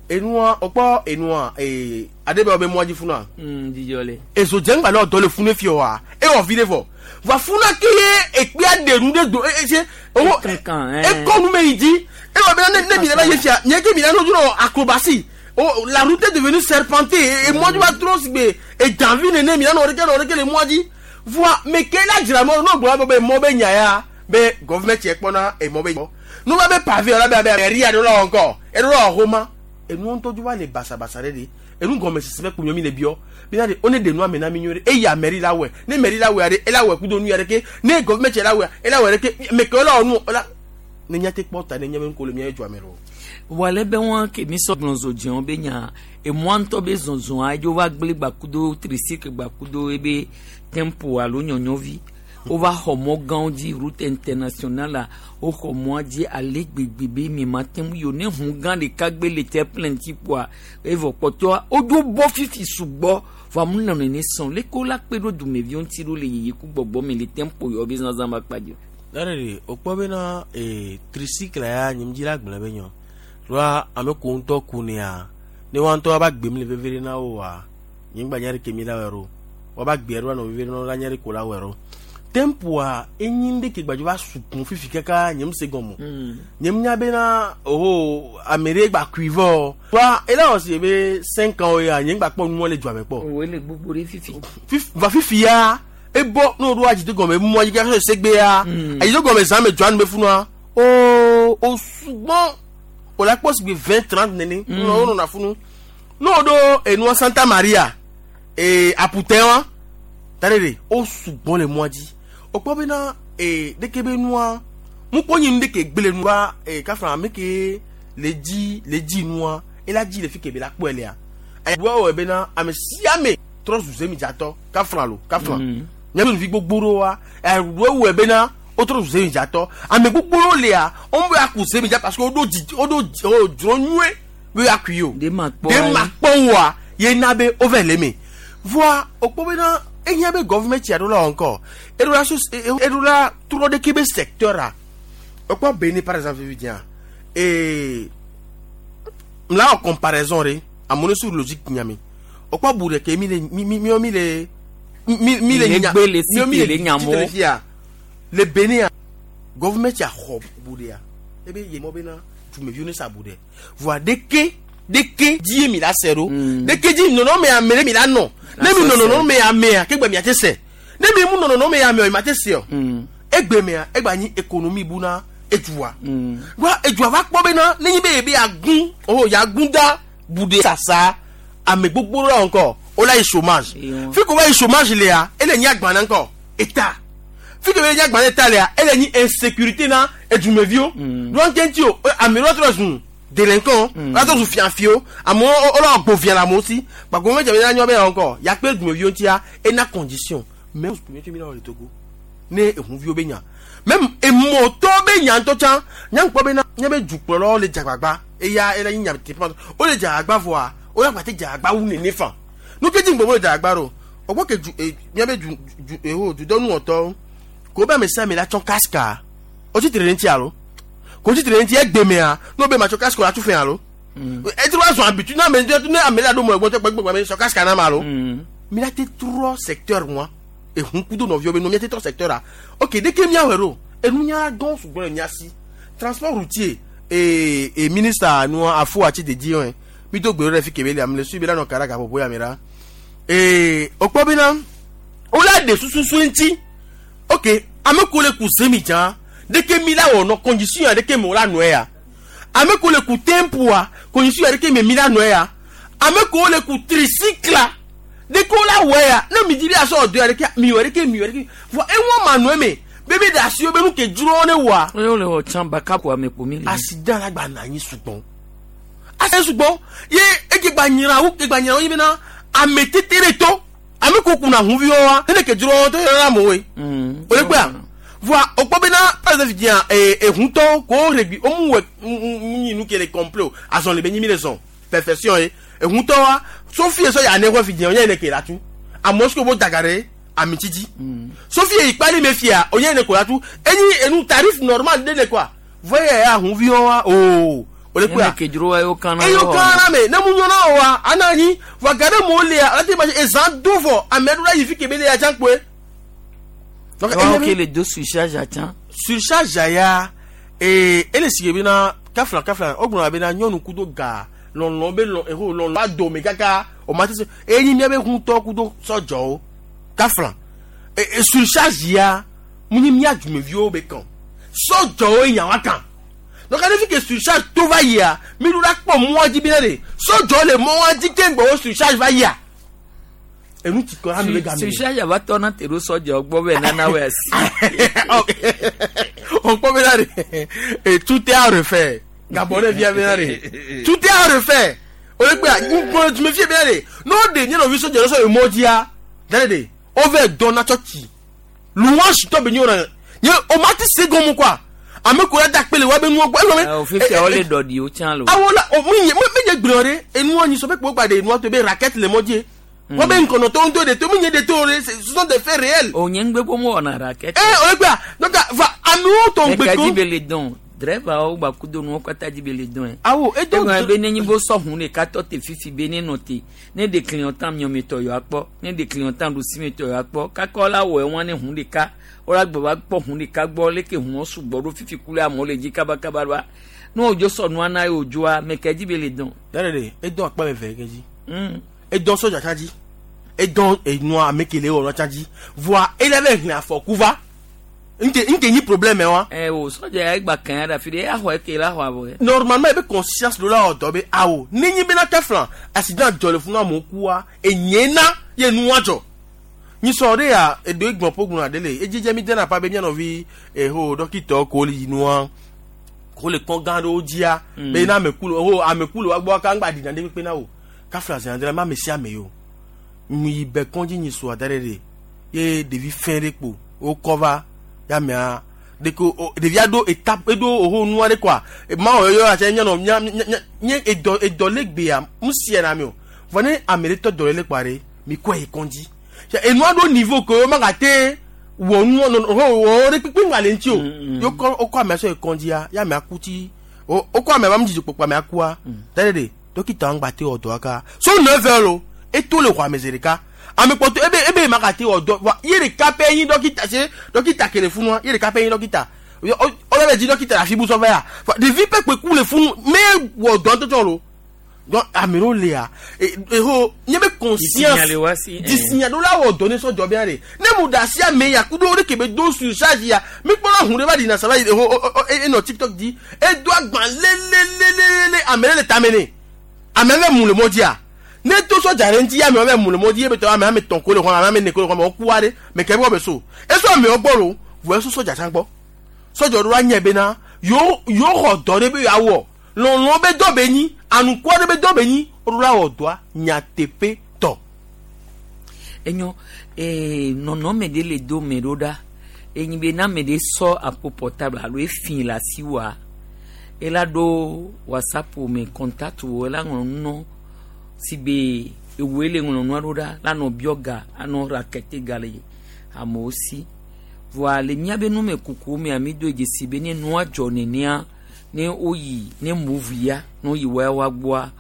enua wokpɔ enua ee aɖe be wo be mɔa dzi funua dzidzɔ le. ezo dze ŋgba ne dɔ le funu fi wa ewɔ vi ɖe vɔ va funa ke ye ekpea ɖe nu ɖe do e e se owo ekɔ nu me yi dzi ewɔ be ne ne mi le va ye fia nye ke mi la no dro acrobatie o la route est devenue serpentée et mɔ dzi va trɔ si gbe edanvi nene mi la nɔ ɖeke nɔ ɖeke le mɔa dzi voa me ke la dzra mɔ n'o gblɔ be mɔ be nya ya be gouvernement tiɛ kpɔna emɔ be n'o va be pavé la be be mairie aɖe la wɔ ŋkɔ eɖo la wɔ xɔma enu ŋutɔ dzo va le basabasa ɖe de enu gɔme sisi be kpunyɔ mi le biɔ bena de one de nua me na mi nyuie ɖe eya mairie la wɔe ne mairie la wɔe ɖe ela wɔe kudo nu ya ɖe ke ne gouvernement la wɔe ela wɔe ɖe ke me ke la wɔ nu ela ne nya te kpɔ ta ne nya be ŋko le mia dzɔa me lo. Wale be wọn ke mi sɔ gblɔ zɔdzɛwo be nya emɔa ŋutɔ be zɔzɔa edzo va gblẽ gbakudo tricycle gbakudo ebe tempo alo nyɔnyɔvi wova xɔ mɔ gãwo dzi route internationale la woxɔ mɔa dzi ale gbegbe be mi ma te ŋu yi o ne ʋu gã ɖeka gbe le terre-plein ŋuti kpoa evɔ kpɔtɔa wodzo bɔ fifi sugbɔ vɔ amu nɔ nene sɔn leke wola kpe ɖo dumeviwo ŋuti ɖo le yiyi ku gbɔgbɔ me le tempo yɔ be zazã ba kpa dzi o. Ɖe de o kpɔ bena ee tricycle ya nye ŋdzi la gblẽ be nyɔ ɖoa ame ko ŋutɔ ku nea ne wa ŋutɔ va gbem le veve ɖe na wo wa nye ŋgba nya ɖe ke mi la wɔ ɖo wa ba gbe ɖo nɔ veve ɖe na wo la nya ɖe ko la wɔ ɖo tempoa enyi ɖe ke gbadzo va sukun fifi kaka nye ŋu se gɔme nye ŋu nya bena oho ame ɖe gba kui vɔ wa ela wɔ si be cinq ans ya nye ŋgba kpɔ numɔ le dua me kpɔ o le gbogbo ɖe fifi. Fif- va fifi ya ebɔ n'o ɖo adzido gɔme mɔ dzi kaka segbe ya adzido gɔme zã me dua nu be funua o o sugbɔn o la kpɔ sigbe vingt trente nene mm. o nɔna funu n'o ɖo enua Santa Maria ee aputɛ wa tare de o sugbɔn le mɔa dzi o kpɔ bena ee ɖeke be nua mukpɔ nyi nu ɖeke gble nua ee kafra ame ke le dzi le dzi nua ela dzi le fi ke be la kpɔe lea ayiwa wɔ bena ame sia ame trɔ zu zemidzatɔ kafra lo kafra nyɔnuvi gbogbo ɖewo wa ɛwɔ wɔ bena wotrɔ zu zemidzatɔ ame gbogbo ɖewo lia wɔn bɛ aku zemidza parce que woɖo dzi woɖo dzi o dzro nyuie be akui yi o de ma kpɔ de ma kpɔ wa ye na be wova le me voa wokpɔ bena ehia be gouvernement ya ɖo la wɔ ŋkɔ eɖo la so eɖo la trɔ ɖeke be secteur a wokpɔ Benin par exemple fi dzia ee mla wɔ comparaison ɖe amewo sur logique nyame wokpɔ bu ɖeke mi le mi mi mi mi le mi mi le Le nya gbe le mi mi cité le nyamo. le fia le Benin a gouvernement ya xɔ bu ɖea ebe ye mɔ bena dumeviwo ne sa bu ɖe voa ɖeke ɖeke dzi ye mi la se ɖo ɖeke dzi nɔnɔme ame ɖe mi la nɔ ne mi nɔ nɔnɔme amea ke gbe mia te se ne mi mu nɔ nɔnɔme amea o ma te se o egbe mea egba nyi économie bu na edua wa edua va kpɔ bena ne nyi be ye be yagun oh yagun da bu ɖe sasa ame gbogbo ɖe ŋkɔ o la yi chômage fi ko va yi chômage lea ele nyi agbana ŋkɔ état fi ke be nyi agbana état lea ele nyi insécurité na edumeviwo donc ŋuti o ame ɖewo trɔ zu délinquant wọ́n trɔ zu fiafio amewo wọ́n gbò fia le amewo si gbàgbọ́ mɛtɛ bɛ nyɔ bɛ yɔ ŋkɔ yakpe dumeviwo ŋutia ena condition mais mi la wɔ le Togo ne ehuviwo be nya Même emɔtɔ be nyantɔ tsã nyankpɔ bena nye be dukplɔlawo le dzagbagba eya ele nyi nyateƒe wole dzagbagba vɔa woya gbate dzagbagba wu nene fa nu ke dzi ŋgbɔ le dzagbagba ɖo ɔgbɔ ke du e miabe du du eho dudɔnuwɔtɔwo ko be ame sia ame la tsɔ kaska o tsi tre ɖe ŋuti alo ko tsi tre ɖe ŋuti egbemea ne wo be matsɔ kaska o la tu fɛ alo etrɔ azɔ abitu ne ame ne ame la ɖo mɔ egbɔ gbɛgbɛgbɛ ame sɔ kaska na ma alo mi la te trɔ secteur wa ehun kudo nɔviwo be no mi te trɔ secteur a ok deke miawɔ ɖo enunya gɔn sugbɔ le mia si transport routier ee e ministre nua afo ati dedi yɔn mi do gbe ɖe fi kebe le ame le su bi la nɔ kara gaƒoƒo ya mi la ee okpɔ bena wola de sususu ŋuti ok ame ko le ku semi dza deke mi la wɔ nɔ condition ya deke me wola nɔe ya ame ko le ku tempoa condition ya deke me mi la nɔe ya ame ko le ku tricycle deke wola wɔ ya ne mi dzi bi asɔ ɔdɔ ya deke mi wɔ deke mi wɔ deke vɔ eŋua ma nɔe me bebe de asi wo be nu ke dzro ne wɔa. oye wole wɔ tsã baka ko ame kpo mi le. Accident la gba na anyi sugbɔ accident sugbɔ ye eke gba nyra wo ke gba nyra wo yi bena ame tete ɖe to ame ko kuna hunviwo wa ne ke dzro to yɔrɔ la amewoe. O le gbea voa o kpɔ bena par exemple diya ee ehuntɔ ko regbi o mu wɔ mu nyi nu ke le complet o azɔn le be nyi mi le zɔn perfection ye ehuntɔ wa sofi sɔ ya ne xɔ fi diya o nye ne ke la tu amewo si ko bo daga ɖe amitsitsi sofi yi kpali me fia o nye ne ko la tu enyi enu tarif normal de ne quoi voye ya hunviwo wa ooo o le kpea ene ke dzro wa eyo kana eyo kana me ne mu nyɔna o wa ana anyi wa ga ɖe mo lia ala te ma se ezã do vɔ ame aɖewo la yi fi kebe le ya tsã kpoe. Donc eya ke le do surcharge atsã. Surcharge ya ee ele si bena kafla kafla o gblɔna bena nyɔnu kudo ga lɔlɔ be lɔ eho lɔlɔ adome kaka o ma te se enyi mía be ŋutɔ kudo sɔdzɔwo kafla e e surcharge ya mu nyi mía dumeviwo be kan sɔdzɔwo nyawa kan donc ale fi ke surcharge to va yia mi ɖo la kpɔ mɔa dzi bena de sɔdzɔ le mɔa dzi ke ŋgbɔ wo surcharge va yia enu ti kɔ ame be game. Surcharge ava tɔ na te ɖo sɔdzɔ gbɔ be nana wɔ asi. O kpɔ bena de et tout est à refaire Gabon ɖe fia bena de tout est à refaire o le gbea ŋgbɔ tumi fie bena de n'o de nye nɔvi sɔdzɔ sɔ emɔ dzia dale de o vɛ dɔn na tsɔtsi louange tɔ be nye wɔna nye o ma ti se gɔmu quoi ame ko la da kpele wa be nuwo gbɔ elɔ me. O fifia wo le dɔdi o tsã lo. Awo la o mi nye mi nye gblɔ ɖe enua nyi sɔfɛ kpo gba de enua to be raquette le mɔ dzi. Wọ́n bẹ nkɔnɔ tó ń tó de tó mi nye de tó de ce sont des faits réels. O nye ŋgbe ko mo wɔna raquette. Ee o le gbea donc va amewo tɔ ŋgbe ko. Ɛka dzi be le dɔn driver wo gba kudo nuwo katã dzi be le dɔn yɛ. Awo edo. Egɔme be ne nyi bo sɔ hun ɖeka tɔ te fifi be ne nɔ te ne de clientant miɔmetɔ yɔ akpɔ ne de clientant ɖusimetɔ yɔ akpɔ kakɔ la wɔ ewɔn ne hun ɖeka wola gbɔ va kpɔ hun ɖeka gbɔ leke hun sugbɔ ɖo fifi ku le amewo le dzi kabakaba ɖoa ne wodzo sɔ nua na ye wòdzoa mɛkɛ dzi be le dɔn. Yàrá de edɔn akpa me vɛ kɛ dzi. Edɔn sɔdza tsa dzi edɔn enua ame kele wɔ tsa dzi voa ele bɛ hlẽ afɔku va nke nke nyi problème wa. Ɛ o sɔdza ya gba kàn ya ɖe afi ɖe axɔ eke la xɔ abɔ yɛ. Normalement ebe conscience do la wɔ dɔ be awo ne nyi bena kɛfla accident dzɔ le funu amewo kua enye na ye nua dzɔ nyisɔ ɖe ya edo egbɔn ƒo gblɔna ɖe le edzidze mi dena pa be mianɔvi eho dɔkitɔ ko le yi nua ko le kɔn gã ɖewo dzia be na ameku le ho ameku le wa gbɔ ka ŋgba ɖina ɖe kpekpe na wo kafla zi adre ma ame sia ame yo mi yi bɛ kɔndzi nyi so ada ɖe ɖe ye ɖevi fɛn ɖe kpo wokɔ va ya mea ɖeko o ɖevia ɖo etape eɖo oho nua ɖe koa ma wɔ yɔ atse nye nɔ nya nya nye edɔ edɔ le gbea mu sie na mi o vɔ ne ame ɖe tɔ dɔ le le kpoa ɖe mi kɔ yi kɔndzi enua ɖo niveau ke wo ma gate wɔ nua nɔ ho wɔ ɖe kpekpe ŋgba le ŋuti o ye wokɔ wokɔ amea sɔ yi kɔndzia ya amea ku tsi wo wokɔ amea ba mu dzidzɔ kpɔkpɔ amea kua da ɖe ɖe dɔkita ŋgba te wɔ dɔa ka so neuf heures lo eto le xɔ ame zi ɖeka ame kpɔtɔ ebe ebe ma gate wɔ dɔ wa ye ɖeka pɛ nyi dɔkita se dɔkita ke le funua ye ɖeka pɛ nyi dɔkita ɔlɔ bɛ dzi dɔkita le afi bu sɔfɛ ya ɖevi pɛ kpe ku le funu me wɔ dɔ ŋutɔtsɔ lo donc ame ɖewo lia eho nye be conscience disinya ɖo la wɔ dɔ ne sɔdzɔ bia de ne mu da asi ame ya kudo ɖe ke be do surcharge ya mi kpɔna hun ɖe va ɖina saba yi eho enɔ tiktok dzi edo agba lelelelele ame ɖe le tame ne ame bɛ mu le mɔ dzia ne to sɔdza ɖe ŋuti ame bɛ mu le mɔ dzi ebe tɔ ame ame tɔn ko le xɔ ame ame ne ko le xɔ me wokua ɖe me ke bɔ be so eso amewo gbɔ lo vɔ eso sɔdza tsã gbɔ sɔdza ɖo la nye bena yewo yewo xɔ dɔ ɖe be yeawɔ lɔlɔ be dɔ be nyi anukua ɖe be dɔ be nyi woɖo la wɔ dɔa nyateƒe tɔ. Enyo ee nɔnɔme ɖe le do me ɖo ɖa Enyi be na ame ɖe sɔ apo portable alo efi le asi wa ela ɖo WhatsApp me contact wo ela ŋlɔ nu nɔ si be ewoe le ŋlɔ nua ɖo ɖa la nɔ biɔ ga anɔ rakete ga le amewo si. Voa le míabe numekuku mea mi do dzesi be ne nua dzɔ nenea ne woyi ne Moov ya ne woyi wawa gbɔa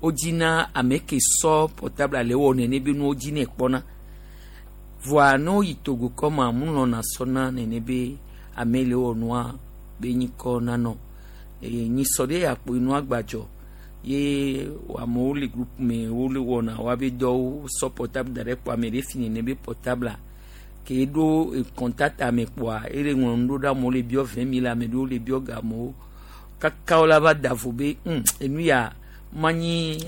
wodzina ame ke sɔ portable le wɔ nene be nuwo dzi ne kpɔna. Voa ne woyi Togo kɔma mu lɔna sɔna nene be ame le wɔ nua be nyikɔ nanɔ. Eye nyisɔ ɖe akpo nua gbadzɔ ye amewo le groupe me wole wɔna woabe dɔwo sɔ portable da ɖe kpɔ ame ɖe fi nene be portable ke ɖo contact ame kpoa ele ŋlɔ nu ɖo ɖe amewo le biɔ vingt mille ame ɖewo le biɔ ga amewo kaka wo la va da vo be hm enu ya manyi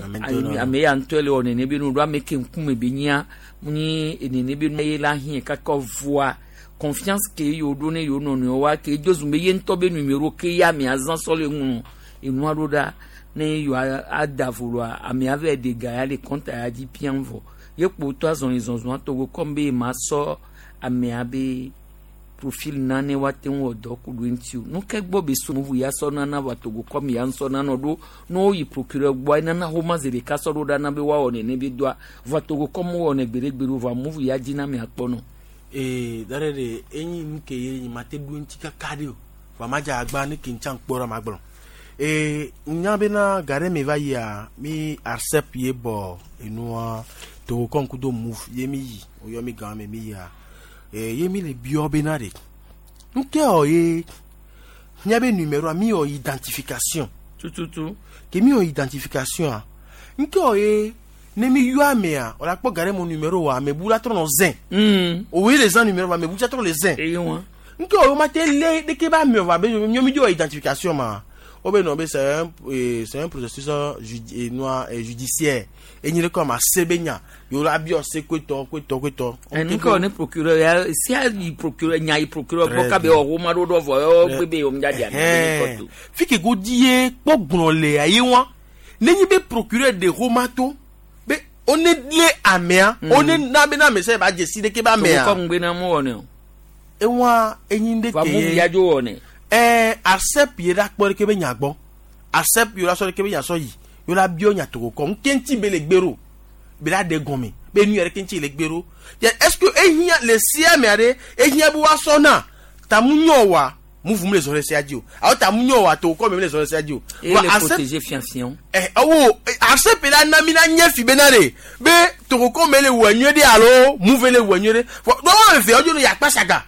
ame ya ŋutɔ le wɔ nene be nu ɖo ame ke ŋkume be nyia nyi nene be nu ye la hiã kaka voa confiance ke yewo ɖo ne yewo nɔnɔewo wa ke edzo zum be ye ŋutɔ be numéro ke ya amea zã sɔ le ŋlɔ enua ɖo ɖa ne yewoa ada vo loa amea va ɖe ga ya le compte ya dzi piam vɔ ye kpo tɔ azɔli zɔzɔa Togo kɔm be ma sɔ amea be profil nane woate ŋu wɔ dɔ ku ɖo eŋuti o. Nu ke gbɔ be so Moov ya sɔ nana va Togo kɔm ya ŋusɔ nanɔ ɖo ne woyi procureur gbɔa enana xoma zi ɖeka sɔ ɖo ɖa na be woawɔ nene be dɔa va Togo kɔm wowɔnɛ gbeɖegbeɖe o vɔa Moov ya dzi na amea kpɔnɔ. Ee da ɖe ɖe enyi nu ke ye nyi ma te ɖo eŋuti kaka ɖe o vɔa ma dze agba ne ke ŋtsa ŋkpɔ ɖe ma gblɔ. Ee nya bena ga ɖe me va yia mi ARCEP ye bɔ enua Togo kɔm kudo Moov ye mi yi woyɔ mi gã me mi yia. Ee ye mi le biɔ bena ɖe nu ke wɔ ye míabe numéro mi wɔ identification. Tututu. Ke mi wɔ identification a nu ke wɔ ye ne mi yɔ amea o la kpɔ ga ɖe mo numéro wa ame bu la trɔ nɔ zɛn. O ye le zã numéro wa ame bu tsa trɔ le zɛn. Eye wa. Nu ke wɔ ye o ma te lé ɖeke ba ame wa be miɔ mi di wɔ identification ma o be nɔ be c'est un c'est un processus judi noa judiciaire enyi ɖe kɔ ma se be nya yewo la biɔ se koetɔ koetɔ koetɔ. Nu ke wɔ ne procureur ya sia yi procureur nya yi procureur gbɔ kabe wɔ xoma ɖo ɖɔ vɔ yɔ gbe be yewo ŋdza di ame ɖe kɔto. Fi ke go di ye kpɔ gblɔ le aye wa ne nyi be procureur de xoma to be wo ne lé amea wo ne na be na ame sɛ ba dze si ɖeke be amea. Togo kɔ ŋgbe na mu wɔ ne o. Ewa enyi ɖe ke ye. Moov ya dzo wɔ ne. Ɛɛ ARCEP ye la kpɔ ɖeke be nya gbɔ ARCEP ye la sɔ ɖeke be nya sɔ yi ye la biɔ nya Togo kɔ ŋke ŋuti be le gbe ɖo be la ɖe gɔme be nu ya ɖeke ŋuti le gbe ɖo est ce que ehiã le sia mea ɖe ehiã be woasɔ na tamu nyɔ wa Moov mu le zɔ ɖe sia dzi o alo tamu nyɔ wa Togo kɔ me le zɔ ɖe sia dzi o. Eye le protéger fiafiawo. Ɛ ɔwɔ ARCEP la na mi na nye fi bena ɖe be Togo kɔ me le wɔ nyuie ɖe alo Moov le wɔ nyuie ɖe vɔ dɔwɔ ame eve wodzo ne yakpa saga.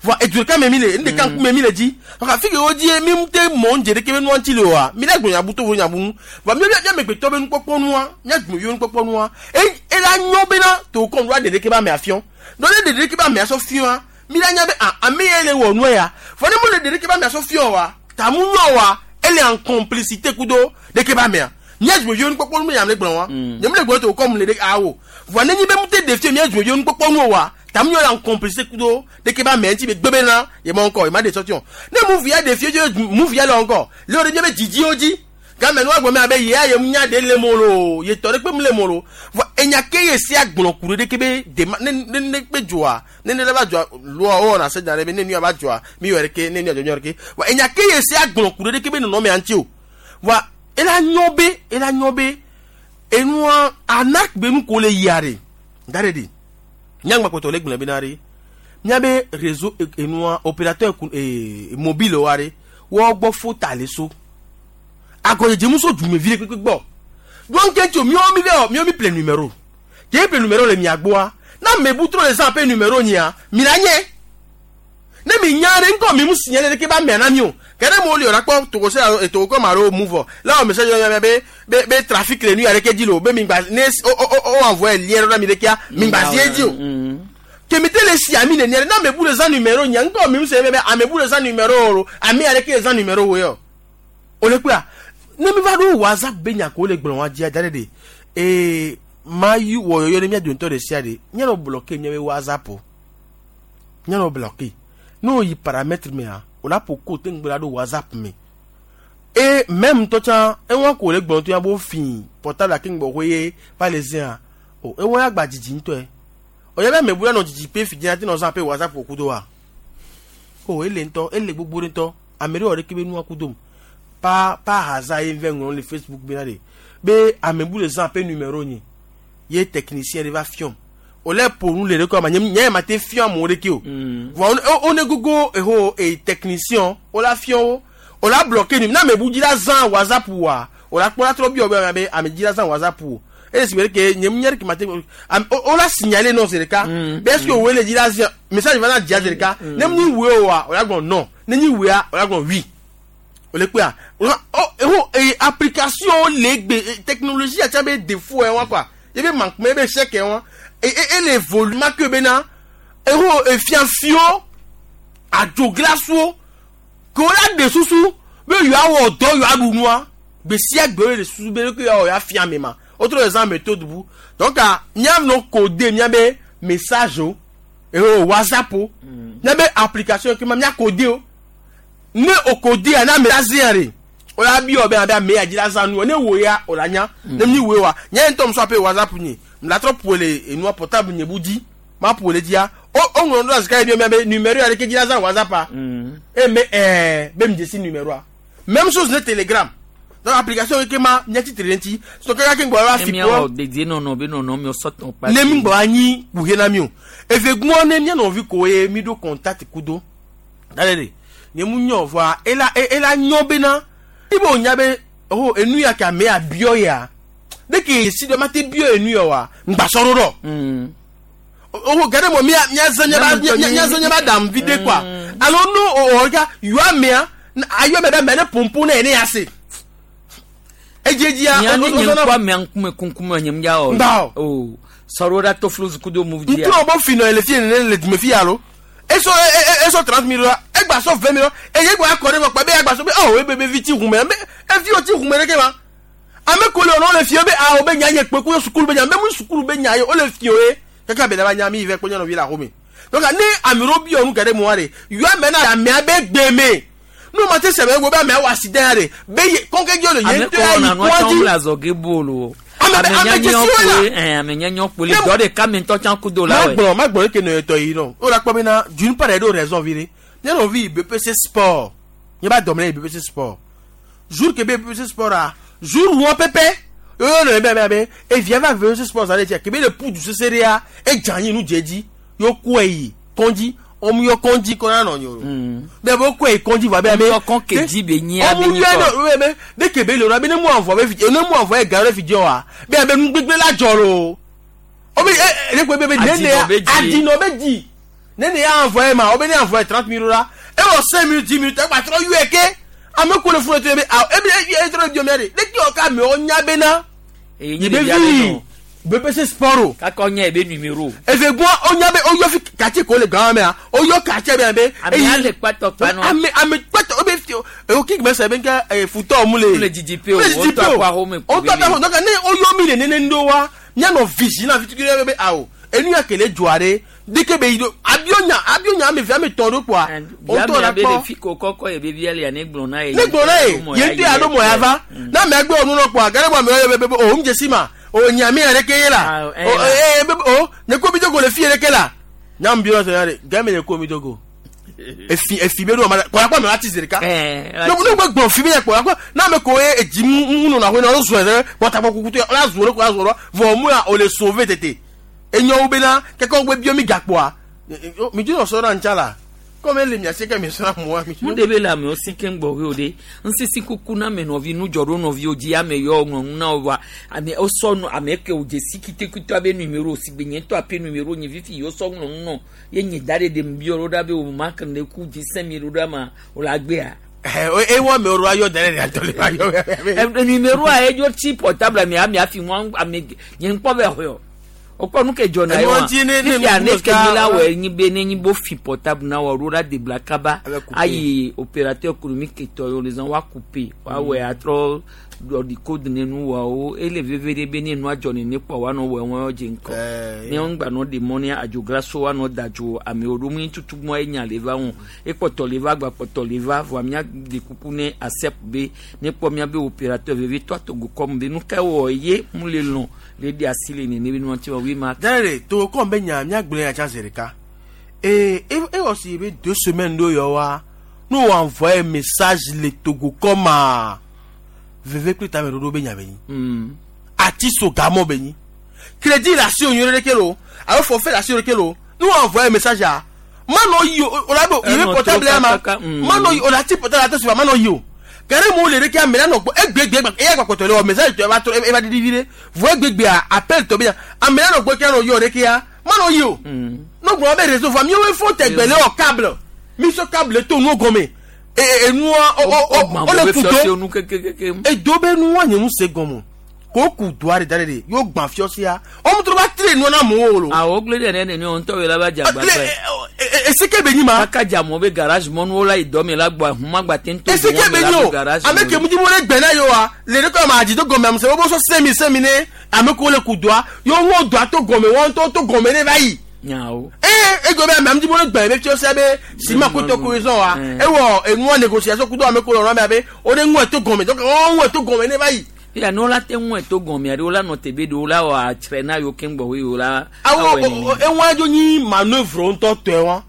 Voa edu ɖeka me mi le nu ɖeka ŋkume mi le dzi kaka fi ke wo dzi mi ŋute mɔ ŋdze ɖeke be nua ŋuti le oa mi la gblɔ nyabu to vo nyabu nu voa mi mi amegbetɔ be nukpɔkpɔ nua mia dumeviwo nukpɔkpɔ nua e ela nyɔ bena Togo kɔm ɖo aɖe ɖeke be amea fiɔ dɔ ne ɖe ɖeke be amea sɔ fiɔa mi la nya be ah ame ya le wɔ nua ya vɔ ne mo le ɖe ɖeke be amea sɔ fiɔ wa tamu nyɔ wa ele en complicité kudo ɖeke be amea mia dumeviwo nukpɔkpɔ nu me nyame gblɔ wa nye mi le gblɔ Togo kɔm le ɖe awo voa ne nyi be ŋute ɖe fie mia dumeviwo nukpɔkpɔ nu wa tamu nyɔ la en complicité kudo ɖeke be amea ŋuti be gbe bena ye ma ŋkɔ ye ma ɖe sɔtiɔ ne Moov ya ɖe fie dzo Moov ya le ŋkɔ le wo ɖe nye be dzidziwo dzi game nua gblɔ me abe ye ya ye nya ɖe le mo lo ye tɔ ɖe kpe mu le mo lo vɔ enya ke ye sia gblɔ ku ɖe ɖeke be dema ne ne ne kpe dzoa ne ne le va dzoa loa wo wɔna se da ɖe be ne nua va dzoa mi wɔ ɖeke ne nua dzɔdzɔ ɖeke vɔ enya ke ye sia gblɔ ku ɖe ɖeke be nɔnɔmea ŋuti o vɔa ela nyɔ be ela nyɔ be enua anak be nu ko le yia ɖe da ɖe ɖi nyagba kpɔtɔ le gblẽ bena ɖe miabe réseau enua opérateur ee mobile wa ɖe wɔ gbɔ fota le so agɔdzedze mu so dumevi ɖe kpekpe gbɔ donc ke tso miawo mi vɛ miawo mi ple numéro ke ple numéro le mia gbɔa na ame bu trɔ le zã ƒe numéro nyia mi la nye ne mi nya ɖe ŋkɔ mi mu signé ɖe ɖeke ba mea na mi o ke ne mo li o la kpɔ Togo se Togo kɔ ma ɖo mu vɔ la wɔ message yɔ be be be trafic le nu ya ɖeke dzi le o be mi gba ne o o o envoyé lien ɖo na mi ɖekea mi gba zi edzi o kemi te le si ami nenia na ame bu le zã numéro nyia ŋkɔ mi mu se be be ame bu le zã numéro o ame ya ɖeke le zã numéro wo yɔ o le kpea ne mi va ɖo WhatsApp be nya ko le gblɔ wa dzia da ɖe ɖe ee ma yi wɔ yɔyɔ ne mia dometɔ ɖe sia ɖe míanɔ bloqué míabe WhatsApp o míanɔ bloqué ne wo yi paramètre mea o la ƒo ko te ŋgbe la ɖo WhatsApp me et même ŋutɔ tsã ewa ko le gblɔ to ya bo fi portable ake ŋgbɔ xoe ye va le zẽa o ewa ya gba dzidzi ŋutɔe o ya be ame bu ya nɔ dzidzi pe fi dzina te nɔ zã pe WhatsApp o kudo wa. O ele ŋutɔ ele gbogbo ɖe ŋutɔ ame ɖe wɔ ɖeke be nua ku dom par par hasard ye vɛ ŋlɔ le Facebook bena de be ame bu le zã ƒe numéro nye ye technicien ɖe va fiɔm o le ƒo nu le ɖe kɔ ma nye nye ma te fiɔ amewo ɖeke o vɔ wo ne gogo eho e technicien wo la fiɔ wo o la bloqué nu na ame bu dzi la zã WhatsApp wa o la kpɔ la trɔ biɔ be ame ame dzi la zã WhatsApp o eye si be ke nye nye ɖeke ma te am o la signaler non c'est le cas be est-ce que wo le dzi la zã message va na dzia c'est le cas ne mu nyi wue o wa o la gblɔ non ne nyi wuea o la gblɔ oui o le kpea o eho e application le gbe technologie atsa be défaut yɛ wa quoi ye be manquement ye be échec yɛ wa e e e le volume ke bena eho efiafio adzoglaso ke wo la de susu be yewoawɔ dɔ yewoaɖu nua gbe sia gbe wo le susu be ke yewoawɔ yeafia ame ma wotrɔ le zã méthode bu donc míanɔ codé míabe message o eho WhatsApp o míabe application ke ma mía codé o ne o codé a na ame la zia re o la bi wɔ be abe ame ya dzi la zã nu ne wo ya o la nya ne mi wo wa nye ŋutɔ musɔ ape WhatsApp nye la trɔ ƒo le enua portable nye bu dzi ma ƒo le dzia o o ŋlɔ ɖo asi ka ye bi be numéro ya ɖeke dzi la zã WhatsApp a e me ɛɛ be mi dzesi numéro a même chose ne Telegram donc application ke ma nye tsitre ɖe ŋuti so kaka ke ŋgbɔ la fi kpɔ dedie nɔnɔ be nɔnɔ mi sɔtɔn kpa ne mi ŋgbɔ anyi kuhe na mi o eve gbɔ ne mía nɔvi ko ye mi ɖo contact kudo dale de nye mu nyɔ vɔa ela ela nyɔ bena ibo nya be oh enu ya ke ame ya biɔ ya de ke si dɔ ma te biɔ enu ya wa ŋgbasɔ ɖo oh gade mo mia mia zã mia ba mia zã mia ba dam vi de quoi alo no o ka yɔ amea ayɔ mɛ bɛ mɛ ne pompo ne ye ne ya se edzedzia o o nye ŋkɔ amea ŋkume kunkume nye ŋdza o o sɔrɔ ɖa to flu kudo mu dzia ŋutsu bɔ fi nɔ le fi ne le dume fi ya lo eso eso trente mille la egba sɔ vingt mille eye egba akɔ ɖe kpɔ be egba sɔ be ɔ ebe be vi ti hume be evi wo ti hume ɖe ke ma ame ko le wònɔ le fie be awo be nya nye kpe ko sukulu be nya be mu sukulu be nya ye wo le fie ye kaka be daba nya mi vɛ kpɔ nyɔnuvi le axome donc ne ame ɖewo bi nu geɖe mua ɖe yɔ ame na amea be gbe me nu ma te sɛbɛ wo be amea wɔ accident ya ɖe be ye kɔnkɛ dzi le ye ŋutɔ ya yi kɔdzi ame ame dzesiwo la ame nyanya kpoli dɔ de kame ŋutɔ tsã kudo la wɛ. ma gblɔ ma gblɔ eke nɔ etɔ yi nɔ o la kpɔ bena d'une part eɖo raison vi ɖe nye nɔvi B P C sport nye ba dɔmɛ B P C sport jour ke be B P C sport a jour wɔ pɛpɛ yɔ nɔ ebe be evia va B P C sport zã ɖe tia ke be le pudu sese ɖea edze anyi nu dze dzi yɔ kɔe yi kɔndzi ɔmu yɔ kɔndzi kɔ na nɔ nyo bɛ bɛ kɔe yi kɔndzi va be ame ɔmu kɔn kedzi be nyi abe ɔmu yɔ nɔ be de ke be le be ne mu avɔ be fi ne mu avɔ ye ga ɖe fi dzi wa be abe nugbegbe la dzɔ lo o be e ne ko be be ne ne adinɔ be dzi ne ne ya avɔ ye ma o be ne avɔ ye trente mille la e wɔ cinq minutes dix minutes egba trɔ yɔe ke ame ko le funu to be awo ebi e trɔ bi omi de ne ki o ka me o nya be na ye be vi B P C sport o. Kakɔ nye ebe numéro. Efe gbɔ o nya be o yɔ fi quartier ko le gan mea o yɔ quartier bɛ be. Ame ale kpatɔ kpanɔ. Ame ame kpatɔ o bɛ fi o o kí gbèsè bɛ nkɛ futɔ mu le. O le didi pe o o tɔ akɔ ahome. O tɔ akɔ donc ne o yɔ mi le nene ŋdo wa mianɔ vigilant fi tukuli bɛ awo enu ya kele dzɔa ɖe deke be yi do abionya abionya ame ve ame tɔn ɖo kpoa. O tɔ la kpɔ. Fi ko kɔkɔ ye be via le ne gblɔ na ye. Ne gblɔ na ye ye ŋutɔ ya ɖo mɔ ya va n'a mɛ gbɛ o nunɔ kpoa gɛrɛ bɔ ame yɔ be o ŋu dzesi ma o nyame yɛrɛ ke ye la o ee o ne ko mi dogo le fi yɛrɛ ke la nyam bi yɔrɔ sɔrɔ yɛrɛ gɛmɛ ne ko mi dogo efi efi be do ma kɔla kɔ mɛ wa ti zeri ka ne ne gbe gbɔn fi mi yɛ kɔla kɔ n'a mɛ ko ye edzi mu nɔnɔ ahoe na o zɔn yɛrɛ kɔtakpɔ kuku to la zɔn ko la zɔn vɔ mu ya o le sauver tete enyawo bena kɛkɛ wo gbe bi mi gakpoa mi dzi nɔ sɔ na ntsa la comme ele miase ke mi sra mo mi. Mu de be la me o si ke ngbɔ o de nsisi kuku na me nɔvi nu dzɔ ɖo nɔvi o dzi ame yɔ ŋlɔ na o wa ame o sɔ nu ame ke o dzesi kitekito abe numéro si gbe nye tɔ ape numéro nye fifi yɔ sɔ ŋlɔ nɔ ye nye da ɖe ɖe bi yɔ ɖo be o ma kan de ku dzi sɛ mi ɖo ɖa ma o la gbea. E wɔ me o ayɔ dɛrɛ de atɔ le ayɔ. Numéro a edzo tsi portable ame ame afi mu ame nye ŋkpɔ bɛ xɔ okɔ nu ke dzɔ na ye wa fifia ne ke mi la wɔ enyi be ne nyi bo fi portable na wɔ ɖo la debla kaba ayi opérateur économique tɔ yɔ le zan wa couper wa wɔ atrɔ ɔdi code ne nu wɔwo ele veve ɖe be ne nua dzɔ nene kpɔ wa nɔ wɔ wɔn dze ŋkɔ ne wɔn gba nɔ de mɔ ne adzograso wa nɔ da dzo amewo ɖo mu tutu mɔ enya le va ŋu ekpɔtɔ le va agbakpɔtɔ le va vɔa mía de kuku ne asep be ne kpɔ mía be opérateur veve tɔ atogo kɔm be nu ka wɔ ye mu le lɔn le de asi le nene be nua ti wɔ wi ma. Dare to kɔn be nya mía gblẽ ya tsa zi ɖeka Et et aussi be deux semaines do yo wa nous envoyer message le Togo comme à veve kple tame ɖoɖo be nya be nyi. Ati so gamɔ be nyi. Crédit la si onyore ɖeke lo alo forfait la si ɖeke lo nous envoyer message a manɔ yi o o la do yi be portable ya ma manɔ yi o la ti portable la te suba manɔ yi o kɛrɛ mo le ɖeke ame la nɔ gbɔ egbegbe eya gbakɔtɔ le wɔ message tɔ eva tɔ eva didi vi ɖe vɔ egbegbe a appel tɔ be ya ame la nɔ gbɔ ke nɔ yɔ ɖeke ya manɔ yi o n'o gblɔ be réseau vɔ miawoe fɔ tɛgbɛ le wɔ câble mi sɔ câble to nuwo gɔme enua o le kudo edo be nua nye nu se gɔme ko ku doa de da de yóò gbã fiɔsia ɔmu tó bá tire nua na mɔwɔ lo. Awɔ gble ɖe ne ne ŋutɔ la ba dze agbagba ye. Esike be nyi ma. Kaka dze amewo be garage mɔnuwo la yi dɔ me la gbɔ ahuma gba te ŋutɔ Esike be nyi o ame ke mu dzi mo le gbɛ na ye wa le ɖe kɔ ma adzi do gɔme ame sɛ wo sɔ sɛmi sɛmi ne ame ko le ku doa yóò ŋɔ doa to gɔme wɔn to to gɔme ne va yi. Nyawo. Ee ego be ame ame dzi mo le gbɛ be fiɔsia be sima ko tɔ ko zɔn wa ewɔ enua négociation kudo ame ko lɔ nɔ be o de ŋɔ to gɔme donc o ŋɔ to gɔme ne va yi. Ya no la te ŋu to gɔme aɖewo la nɔ tebe ɖewo la wɔ atsrɛ na yewo keŋ gbɔ yewo la. Awo eŋu adzo nyi manoeuvre ŋutɔ tɔe wa.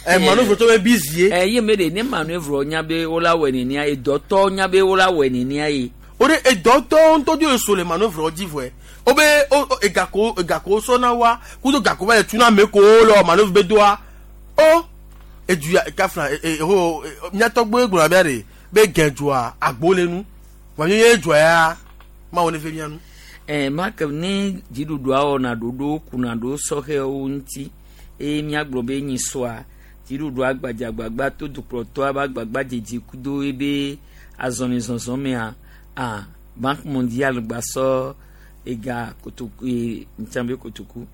Ɛ manoeuvre tɔ be bizie. Ɛ ye me de ne manoeuvre nya be wo la wɔ nenia ye dɔtɔ nya be wo la wɔ nenia ye. O de edɔtɔ ŋutɔ dzo so le manoeuvre dzi vɔe. O be o egako egako sɔna wa kudo gako va le tuna ame ko le manoeuvre be doa. O eduya kafla e o miatɔgbe gblɔ bia de be gɛdzoa agbo le nu. Wàá yẹ dzɔ ya ma wo ne fe mia nu. Ɛ ma ke ne dziɖuɖua wɔna ɖoɖo kuna ɖo sɔhɛwo ŋuti eye míagblɔ be nyi sɔa dziɖuɖua gbadzagbagba to dukplɔtɔa be agbagba dzedzi kudo ebe azɔlizɔzɔ mea a Banque mondiale gba sɔ ega kotoku e ntsan be kotoku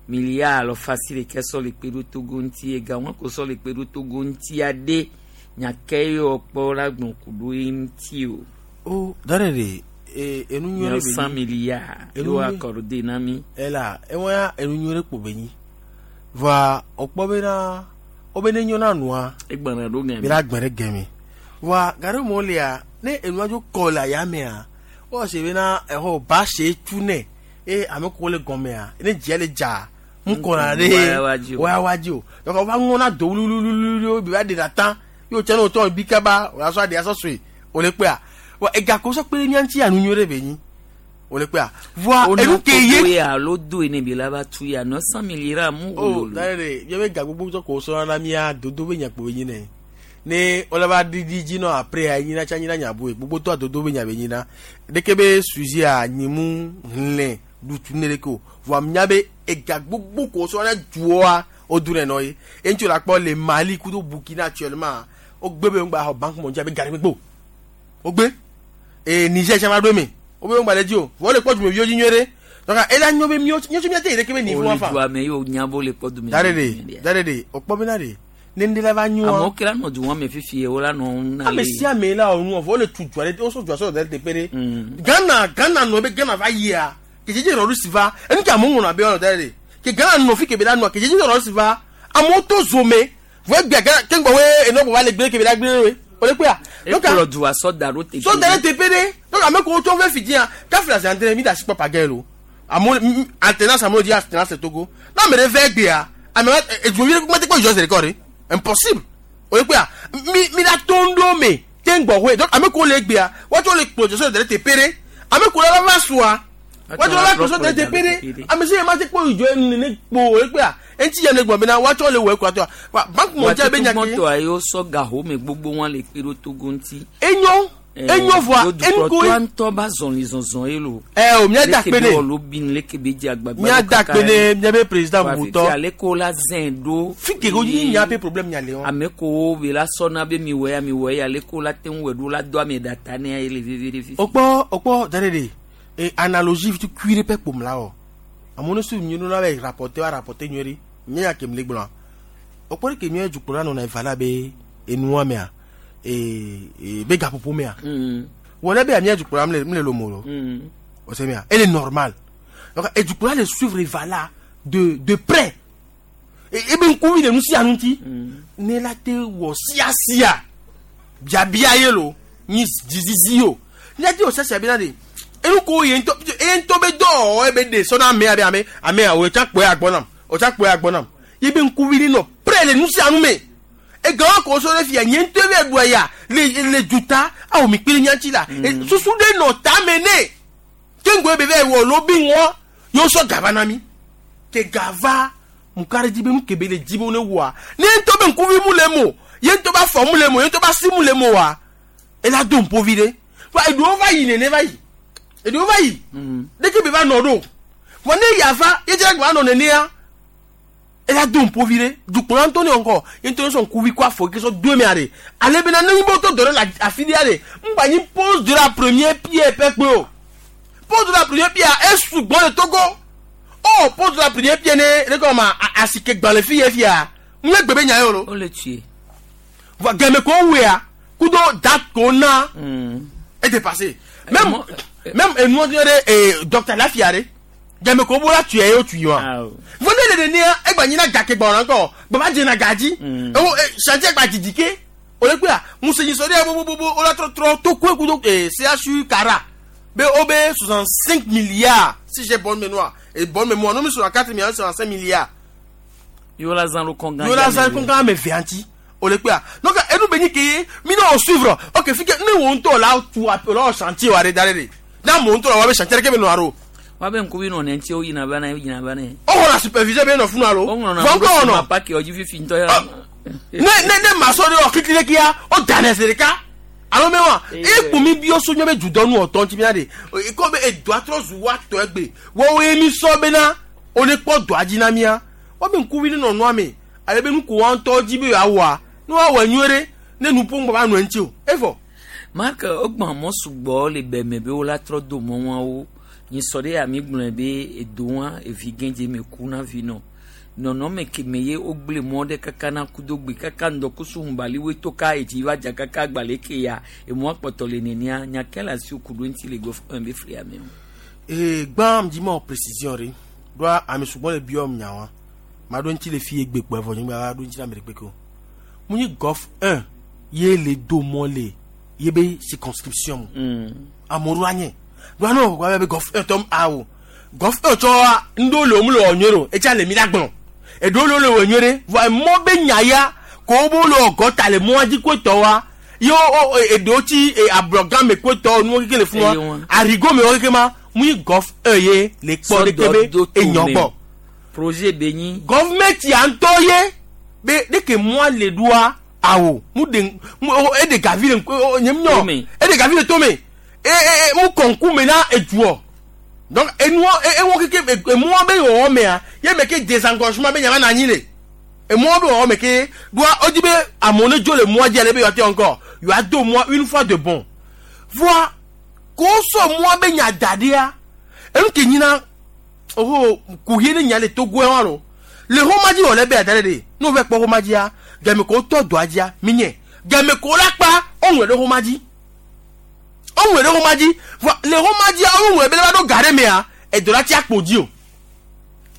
milliard alɔfa si ɖeke sɔ le kpe ɖo Togo ŋuti ega wɔn ko sɔ le kpe ɖo Togo ŋuti aɖe nyake yɔ kpɔ la gblɔ ku ɖo ye ŋuti o. O dare de e enu nyore be cent milliards yo accordé na mi ela e wa enu nyore ko be nyi va opo be na o be ne nyo na nua e gbana do gemi bi la gbere gemi wa gare mo le a ne enu ajo ko la ya me a o se be na e ho ba se tu ne e ame ko le gome a ne je le ja n ko na de wa wa ji o donc o va ngon na do lulululu bi ba de la tan yo che no to bi ka ba o la so ade aso sui o le pe a wa ega ko so pe ni anti anu nyore be yin o le pe a voa enu ke ye ya lo do ene bi la ba tu ya neuf cent milliards mu o dare ye be ga gbogbo so ko so na mi a dodo be nya po yin ne ne o la ba didi ji no après a yin na cha yin na nya bo gbogbo to dodo be nya be yin na de ke be sujet a nyimu nle du tu ne le ko voa nya be ega gbogbo ko so na juo a o dure no yi en ti la po le Mali kudo Burkina actuellement o gbe be ngba Banque mondiale be gari gbogbo o gbe e Niger chama do mi o be ngba le ji o wo le poju mi bi oji nyere donc e la nyo be mi o nyo mi ate ire ke be ni fun wa fa o le me yo nyabo le podu mi dare de dare de o po bi na de ne ndi la va nyu amo kila no du won me fifi e o la no na ame si ame la onu o le tu ju ale o so ju aso de pere Ghana Ghana no be Ghana va yi a kejeje ro si va enu ki amu na be ono dare de ke Ghana no fi ke be la no kejeje ro si va amo to zome vo gbe Ghana ke ngbo we eno bo va le gbe ke be la gbe we o le pe a donc le du aso daro te so daro te pere donc ame ko to ve fidi an ka fila se entre mi da si papa gelo amo alternance amo di alternance Togo na me re ve gbe a ame e ju mi ko te ko jo se record impossible o le pe a mi mi la tondo me te ngbo we donc ame ko le gbe a wo to le projet so daro te pere ame ko la va soa wo to la so daro te pere ame se ma te ko ijo enu ne po o le pe a enti ya ne gbo me na wa to le we ko to Banque mondiale be nya ki to ayo so gaho me gbogbo won le pero Togo nti enyo enyo voa enko ko nto ba zon li zon zon elo eh o mi da pe ne lo bin le ke be di agbagba mi da pe ne mi be président Mouton ale ko la zendo fi ke go yin nya pe problème nya le won ame ko be la sona be mi we mi we ale ko la ten we do la do ame data ne ele vivere fi opo opo dare de e analogie tu cuire pe pom la o amono su mi no la be rapporter rapporter nyori nya ke mi le gbon opo ke mi eju kura no na ivala be enu ame a e e be gapopo me a wona be ami eju kura mi le lo moro o se mi a elle est normale donc eju kura le suivre ivala de de près e e be nkuvi de nu si anuti ne la te wo sia sia bia bia yelo ni zizizi o ni ati o sia sia bi na de enu ko ye nto e nto be do e be de so na me abi ame ame a o cha pe agbon nam o cha pe agbon nam ye be nkuvi ni no près le nu sia nu me egawo ko so le fia nye ŋutɔ be ɖua ya le le duta awo mi kpe nyatsi la susu ɖe nɔ tame ne ke ŋgɔ be be wɔ lo bi ŋɔ yóò sɔ gava na mi ke gava mukari dzi be nu kebe le dzi be ne wɔa ne ŋutɔ be ŋkuvi mu le mo ye ŋutɔ be afɔ mu le mo ye ŋutɔ be asi mu le mo wa ela do ŋpovi ɖe wa eɖewo va yi nene va yi eɖewo va yi ɖeke be va nɔ ɖo vɔ ne yava ye dze gba nɔ nenea ela do ŋpovi ɖe dukplɔla ŋutɔ ne ŋkɔ ye ŋutɔ sɔ ŋkuvi kɔ afɔ ke sɔ do emea ɖe ale bena ne nyi be wotɔ dɔ ɖe le afi ɖea ɖe ŋgba nyi pose de la première pierre pɛ kpe o pose de la première pierre esugbɔ le Togo oh pose de la première pierre ne ne kɔ ma asike gbalẽ fi ye fia ŋu ye gbe be nya ye o lo. O le tue. Vɔ gɛmɛ ko wea kudo date ko na e dépassé même même enuɔ ɖe ee docteur Lafia ɖe gɛmɛ ko bɔra tuya ye o tuyi wa vɔ ne le nenia egba nyina gake gbɔna ŋkɔ baba dzena gadzi ewo chantier gba didi ke o le kpea musenyi sɔ ɖe bobobobo o la trɔtrɔ to koe kudo ee C H U Kara be o be soixante cinq milliards, si j'ai bonne mémoire et bonne mémoire, non, soixante quatre milliards, soixante cinq milliards. Yóò la zan lo kɔngan. Yóò la zan kɔngan ame ve ŋuti o le kpea. Donc enu be nyi ke ye mi ne o suivre ok fi ke ne wo ŋutɔ la tu la o chantier wa ɖe da ɖe de n'a mo ŋutɔ la wa be chantier ɖe ke be nɔ aro. Wa be ŋkuvi nɔ ne ŋuti o yina va ne yina va ne. O xɔna superviseur be nɔ funu alo. O ŋlɔna vɔ ŋkɔ wɔnɔ. Paki ɔdzi fifi ŋutɔ ya. Ne ne ne masɔ ɖe wɔ kiti ɖe kia o da ne zi ɖeka alo mɛ wa e kpo mi bi so nyɔ be dudɔnu ɔtɔ ŋuti mia de ko be edoa trɔ zu wa tɔ egbe wɔwoe mi sɔ bena o ne kpɔ dɔa dzi na mia wọ́n bɛ ŋkuvi ne nɔ nua me ale be nuko wa ŋutɔ dzi be yeawɔa ne woawɔ nyuie ɖe ne nuƒo ŋgbɔ va nɔ eŋuti o evɔ. Mark ogbɔn mɔ sugbɔ le bɛmɛ be wola trɔ do mɔ wawo nyisɔ ɖe ami gblɔe be edo wa evi gɛdze me ku na vi nɔ nɔnɔme keme ye wogble mɔ ɖe kaka na kudo gbe kaka ŋdɔkusu ŋubaliwoe to ka etsi va dza kaka agbalẽ ke ya emɔa kpɔtɔ le nenia nyake le asi ku ɖo ŋuti le gɔfɔme be flia me o. Ee gbã dzi ma wɔ précision ɖe ɖoa ame sugbɔ le biɔ nya wa ma ɖo ŋuti le fi ye gbe kpɔ evɔ nyigba ɖo ŋuti le ame ɖe kpeke o mu nyi golf un ye le do mɔ le ye be circonscription mu amewo ɖo anye ɖoa ne wɔ be golf un tɔ awo golf un tsɔ ŋɖo le wo mu le wɔ nyuie ɖo etsa le mi la gblɔ eɖewo le wo le wɔ nyuie ɖe vɔ emɔ be nya ya ko wo bo le wɔ gɔta le mɔa dzi ko tɔ wa ye wo eɖewo tsi ablɔgã me ko tɔ nuwo keke le fún wa arigo me wɔ keke ma mu nyi golf un ye le kpɔ ɖeke be enyɔ gbɔ. Projet be nyi. Gɔvumɛnti ya ŋutɔ ye be ɖeke mɔa le ɖoa awo mu de mu e de gavi le nye mu nyɔ e de gavi le tome e e mu kɔnku me na eduɔ donc enuɔ ewɔ keke emɔa be wɔwɔ mea ye me ke désengorgement be nyama na anyi le emɔa be wɔwɔ me ke ɖoa wodi be amewo ne dzo le mɔa dzi ale be yewoate encore yewoa do mɔa une fois de bon voa ko sɔ mɔa be nya da ɖea enu ke nyina oho kuhie ne nya le Togo wa lo le xɔma dzi wɔ le be ada ɖe de ne wova kpɔ xɔma dzia game ko wotɔ dɔa dzia mi nye game ko la kpa woŋlɔe ɖe xɔma dzi woŋlɔe ɖe xɔma dzi vɔ le xɔma dzia woŋlɔe be ne va ɖo ga ɖe mea edɔ la tsi akpo dzi o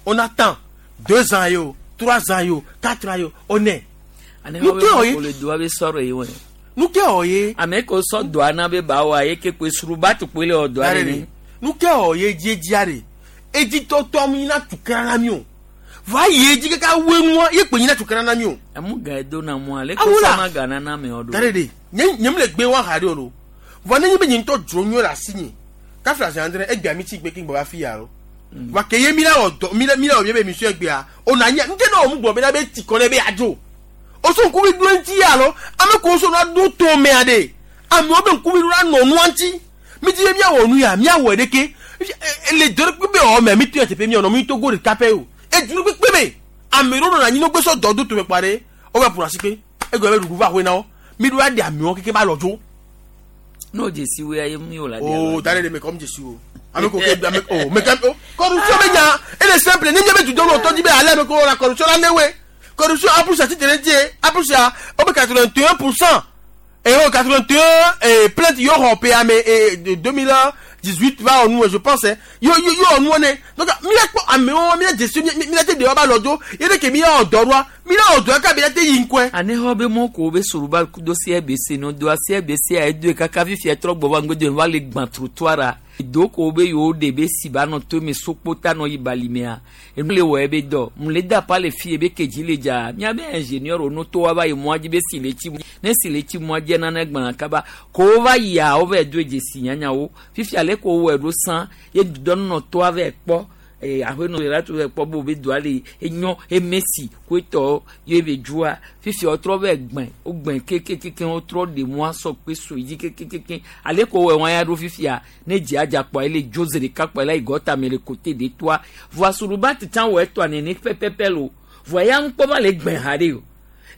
on attend deux ans ye o, trois ans ye o, quatre ans ye o, on est. Nu ke wɔ ye le doa be sɔrɔ ye wɔ. Nu ke wɔ ye. Ame ko sɔ dɔa na be ba wa ye ke koe suruba tu koe le wɔ dɔa ɖe ne. Nu ke wɔ ye dziedzia ɖe edzitɔtɔ mi na tukara na mi o va yi edzi kaka woe nua ye kpe nyi na tukara na mi o. Emu ga edo na mu ale ko sɔma ga na na mi o do. Tare de nye nye mi le gbe wa ha de o lo vɔ ne nye be nye ŋutɔ dzro nyuie le asi nye kafi asi andre egbea mi tsi gbe ke gbɔ va fi ya lo wa ke ye mi la wɔ dɔ mi la mi la wɔ mi be mission egbea o na nye ŋutɛ na wɔ mu gbɔ be na be ti kɔ ne be adzo o so ŋkuvi ɖo ŋuti ya lo ame ko so na do to mea de amewo be ŋkuvi ɖo la nɔ nua ŋuti mi ti be miawɔ nu ya miawɔ ɖeke le dɔ kpekpe wɔ mɛ mi to yɛ teƒe miawɔ mi Togo ɖeka pɛ o edunu kpekpe me ame ɖewo nɔ anyi ne gbesɔ dɔ do tome kpa ɖe wova ƒo asi kpe egɔme be ɖuɖu va ahoe na wo mi ɖo aɖe amewo keke ba lɔ dzo. N'o dzesi wo ya ye mi o la. O da ɖe de me kɔm dzesi o ame ko ke ame o me ke o corruption be nya ele simple ne nye be dudɔ tɔ dzi be ale ame ko la corruption la ne we corruption un pour cent ti tere die un pour cent o be quatre-vingt-un pour cent et o quatre-vingt-un plainte yɔ xɔ pe ame et deux mille dix-huit va nous je pense yo yo yo nous on est donc mi la kpɔ amewo mi la dzesi mi la te de wa ba lɔ dzo ye de ke mi la wɔ dɔ ɖoa mi la wɔ dɔ ka mi la te yi ŋkɔe. Ane xɔ be mɔ ko be suruba do C R B C no do C R B C a edo kaka fifia trɔ gbɔ va ŋgɔdo va le gbã trottoir a Do ko be yo de be si ba nɔ to me sokpota nɔ yi balimea enu le wɔ ebe dɔ mu le da pa le fi ebe kedzi le dza miabe ingénieur no to wa va yi mɔa dzi be si le tsi ne si le tsi mɔa dzi nane gbã kaba ko wo va yia wo va do dzesi nyanyawo fifia le ko wɔ ɖo sã ye dɔnɔ toa va kpɔ ee aƒenɔ la to kpɔ be wobe doa le enyɔ emesi koetɔ ye be dzua fifia wotrɔ va gbẽ wogbẽ kekekeke wotrɔ ɖe mɔa sɔ kpe so dzi kekekeke ale ko wɔ wɔn ya ɖo fifia ne dzia dza kpɔa ele dzo zi ɖeka kpɔa la yi gɔta me le kote de toa voa suruba titã wɔ etɔa nene pɛpɛpɛ lo voa ya ŋkpɔ va le gbẽ ha ɖe o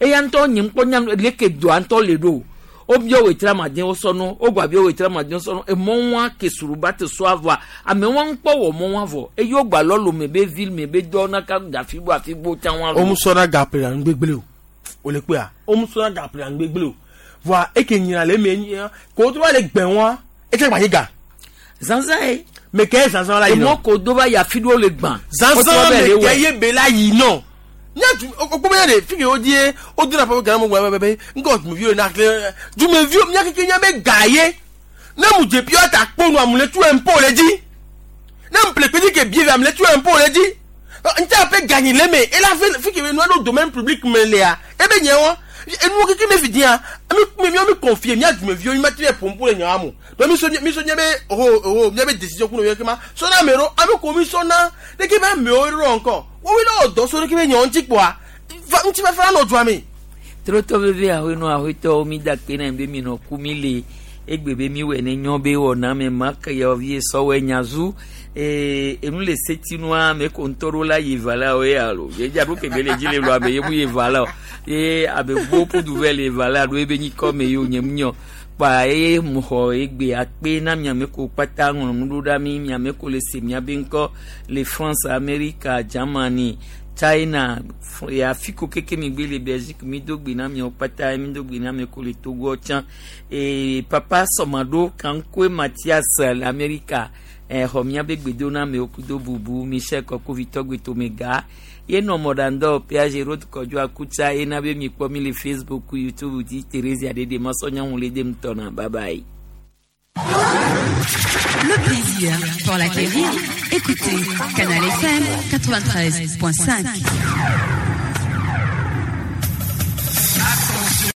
eya ŋutɔ nye ŋkpɔ nya leke doa ŋutɔ le ɖo o wobia wetra maden wosɔnu wogba bia wetra maden wosɔnu emɔ wa ke suruba te sɔ avɔa ame wa ŋkpɔ wɔ mɔ wa vɔ eye wogba lɔlo me be ville me be dɔ naka da afi bo afi bo tsã wa. Omu sɔna gaple la ŋgbegble o o le kpea omu sɔna gaple la ŋgbegble o voa eke nyina le eme nyina ko to va le gbɛ wa etse gba ye ga. Zanzan ye. Me ke zanzan la yi nɔ. Emɔ ko do va yi afi ɖewo le gbã. Zanzan me ke ye be la yi nɔ. Nya du o ko be de fi ke o die o dina pa ga mo gba be be ngo dumeviwo na kle dumeviwo nya keke nya be ga ye ne mu je pio ta kponu amule tu impôt le di ne mu ple pedi ke bien amule tu impôt le di nta pe gagner le me et la fi ke no do domaine public me le a e be nye won enu keke me fi dia mi mi mi confier nya dumeviwo mi ma ti pompo le nya amu do mi so mi so nya be oh oh nya be décision ku no ye ke ma so na mero ami ko mi so na de ke ba me o ro encore wo wi lo do so de ke be nya nti po a nti ba fa no dua mi trotɔ veve ahoenɔ ahoetɔwo mi da kpe na be mi nɔ ku mi le egbe be mi wɔ ne nyɔ be wɔ na me ma ke yɔ vie sɔwɔ nyazu ee enu le setinua me ko ŋutɔ ɖo la yi va la o ye alo ye dza ɖo kebe le dzi le lo abe ye mu ye va la o ye abe gbo ƒudu vɛ le va la ɖo ebe nyikɔ me ye o nye mu nyɔ kpa eye mu xɔ egbe akpe na miame ko kpata ŋlɔ nu ɖo ɖa mi miame ko le se miabe ŋkɔ le France, Amerika, Germany, China, afi ko keke mi gbe le Belgique mi do gbe na miawo kpata mi do gbe na mi ko le Togo tsã ee papa sɔmaɖo kankoe Mathias le Amerika exɔ miabe gbedoname kudo bubu Michel Kɔkovitɔ gbetomega ye nɔ mɔɖaŋdɔ P A G Road Kɔdzo Akutsa ye na be mi kpɔ mi le Facebook, YouTube dzi Thérésia ɖeɖe masɔnyɔŋu le dem tɔna. Bye bye. Le plaisir pour l'acquérir, écoutez Canal F M quatre-vingt-treize point cinq.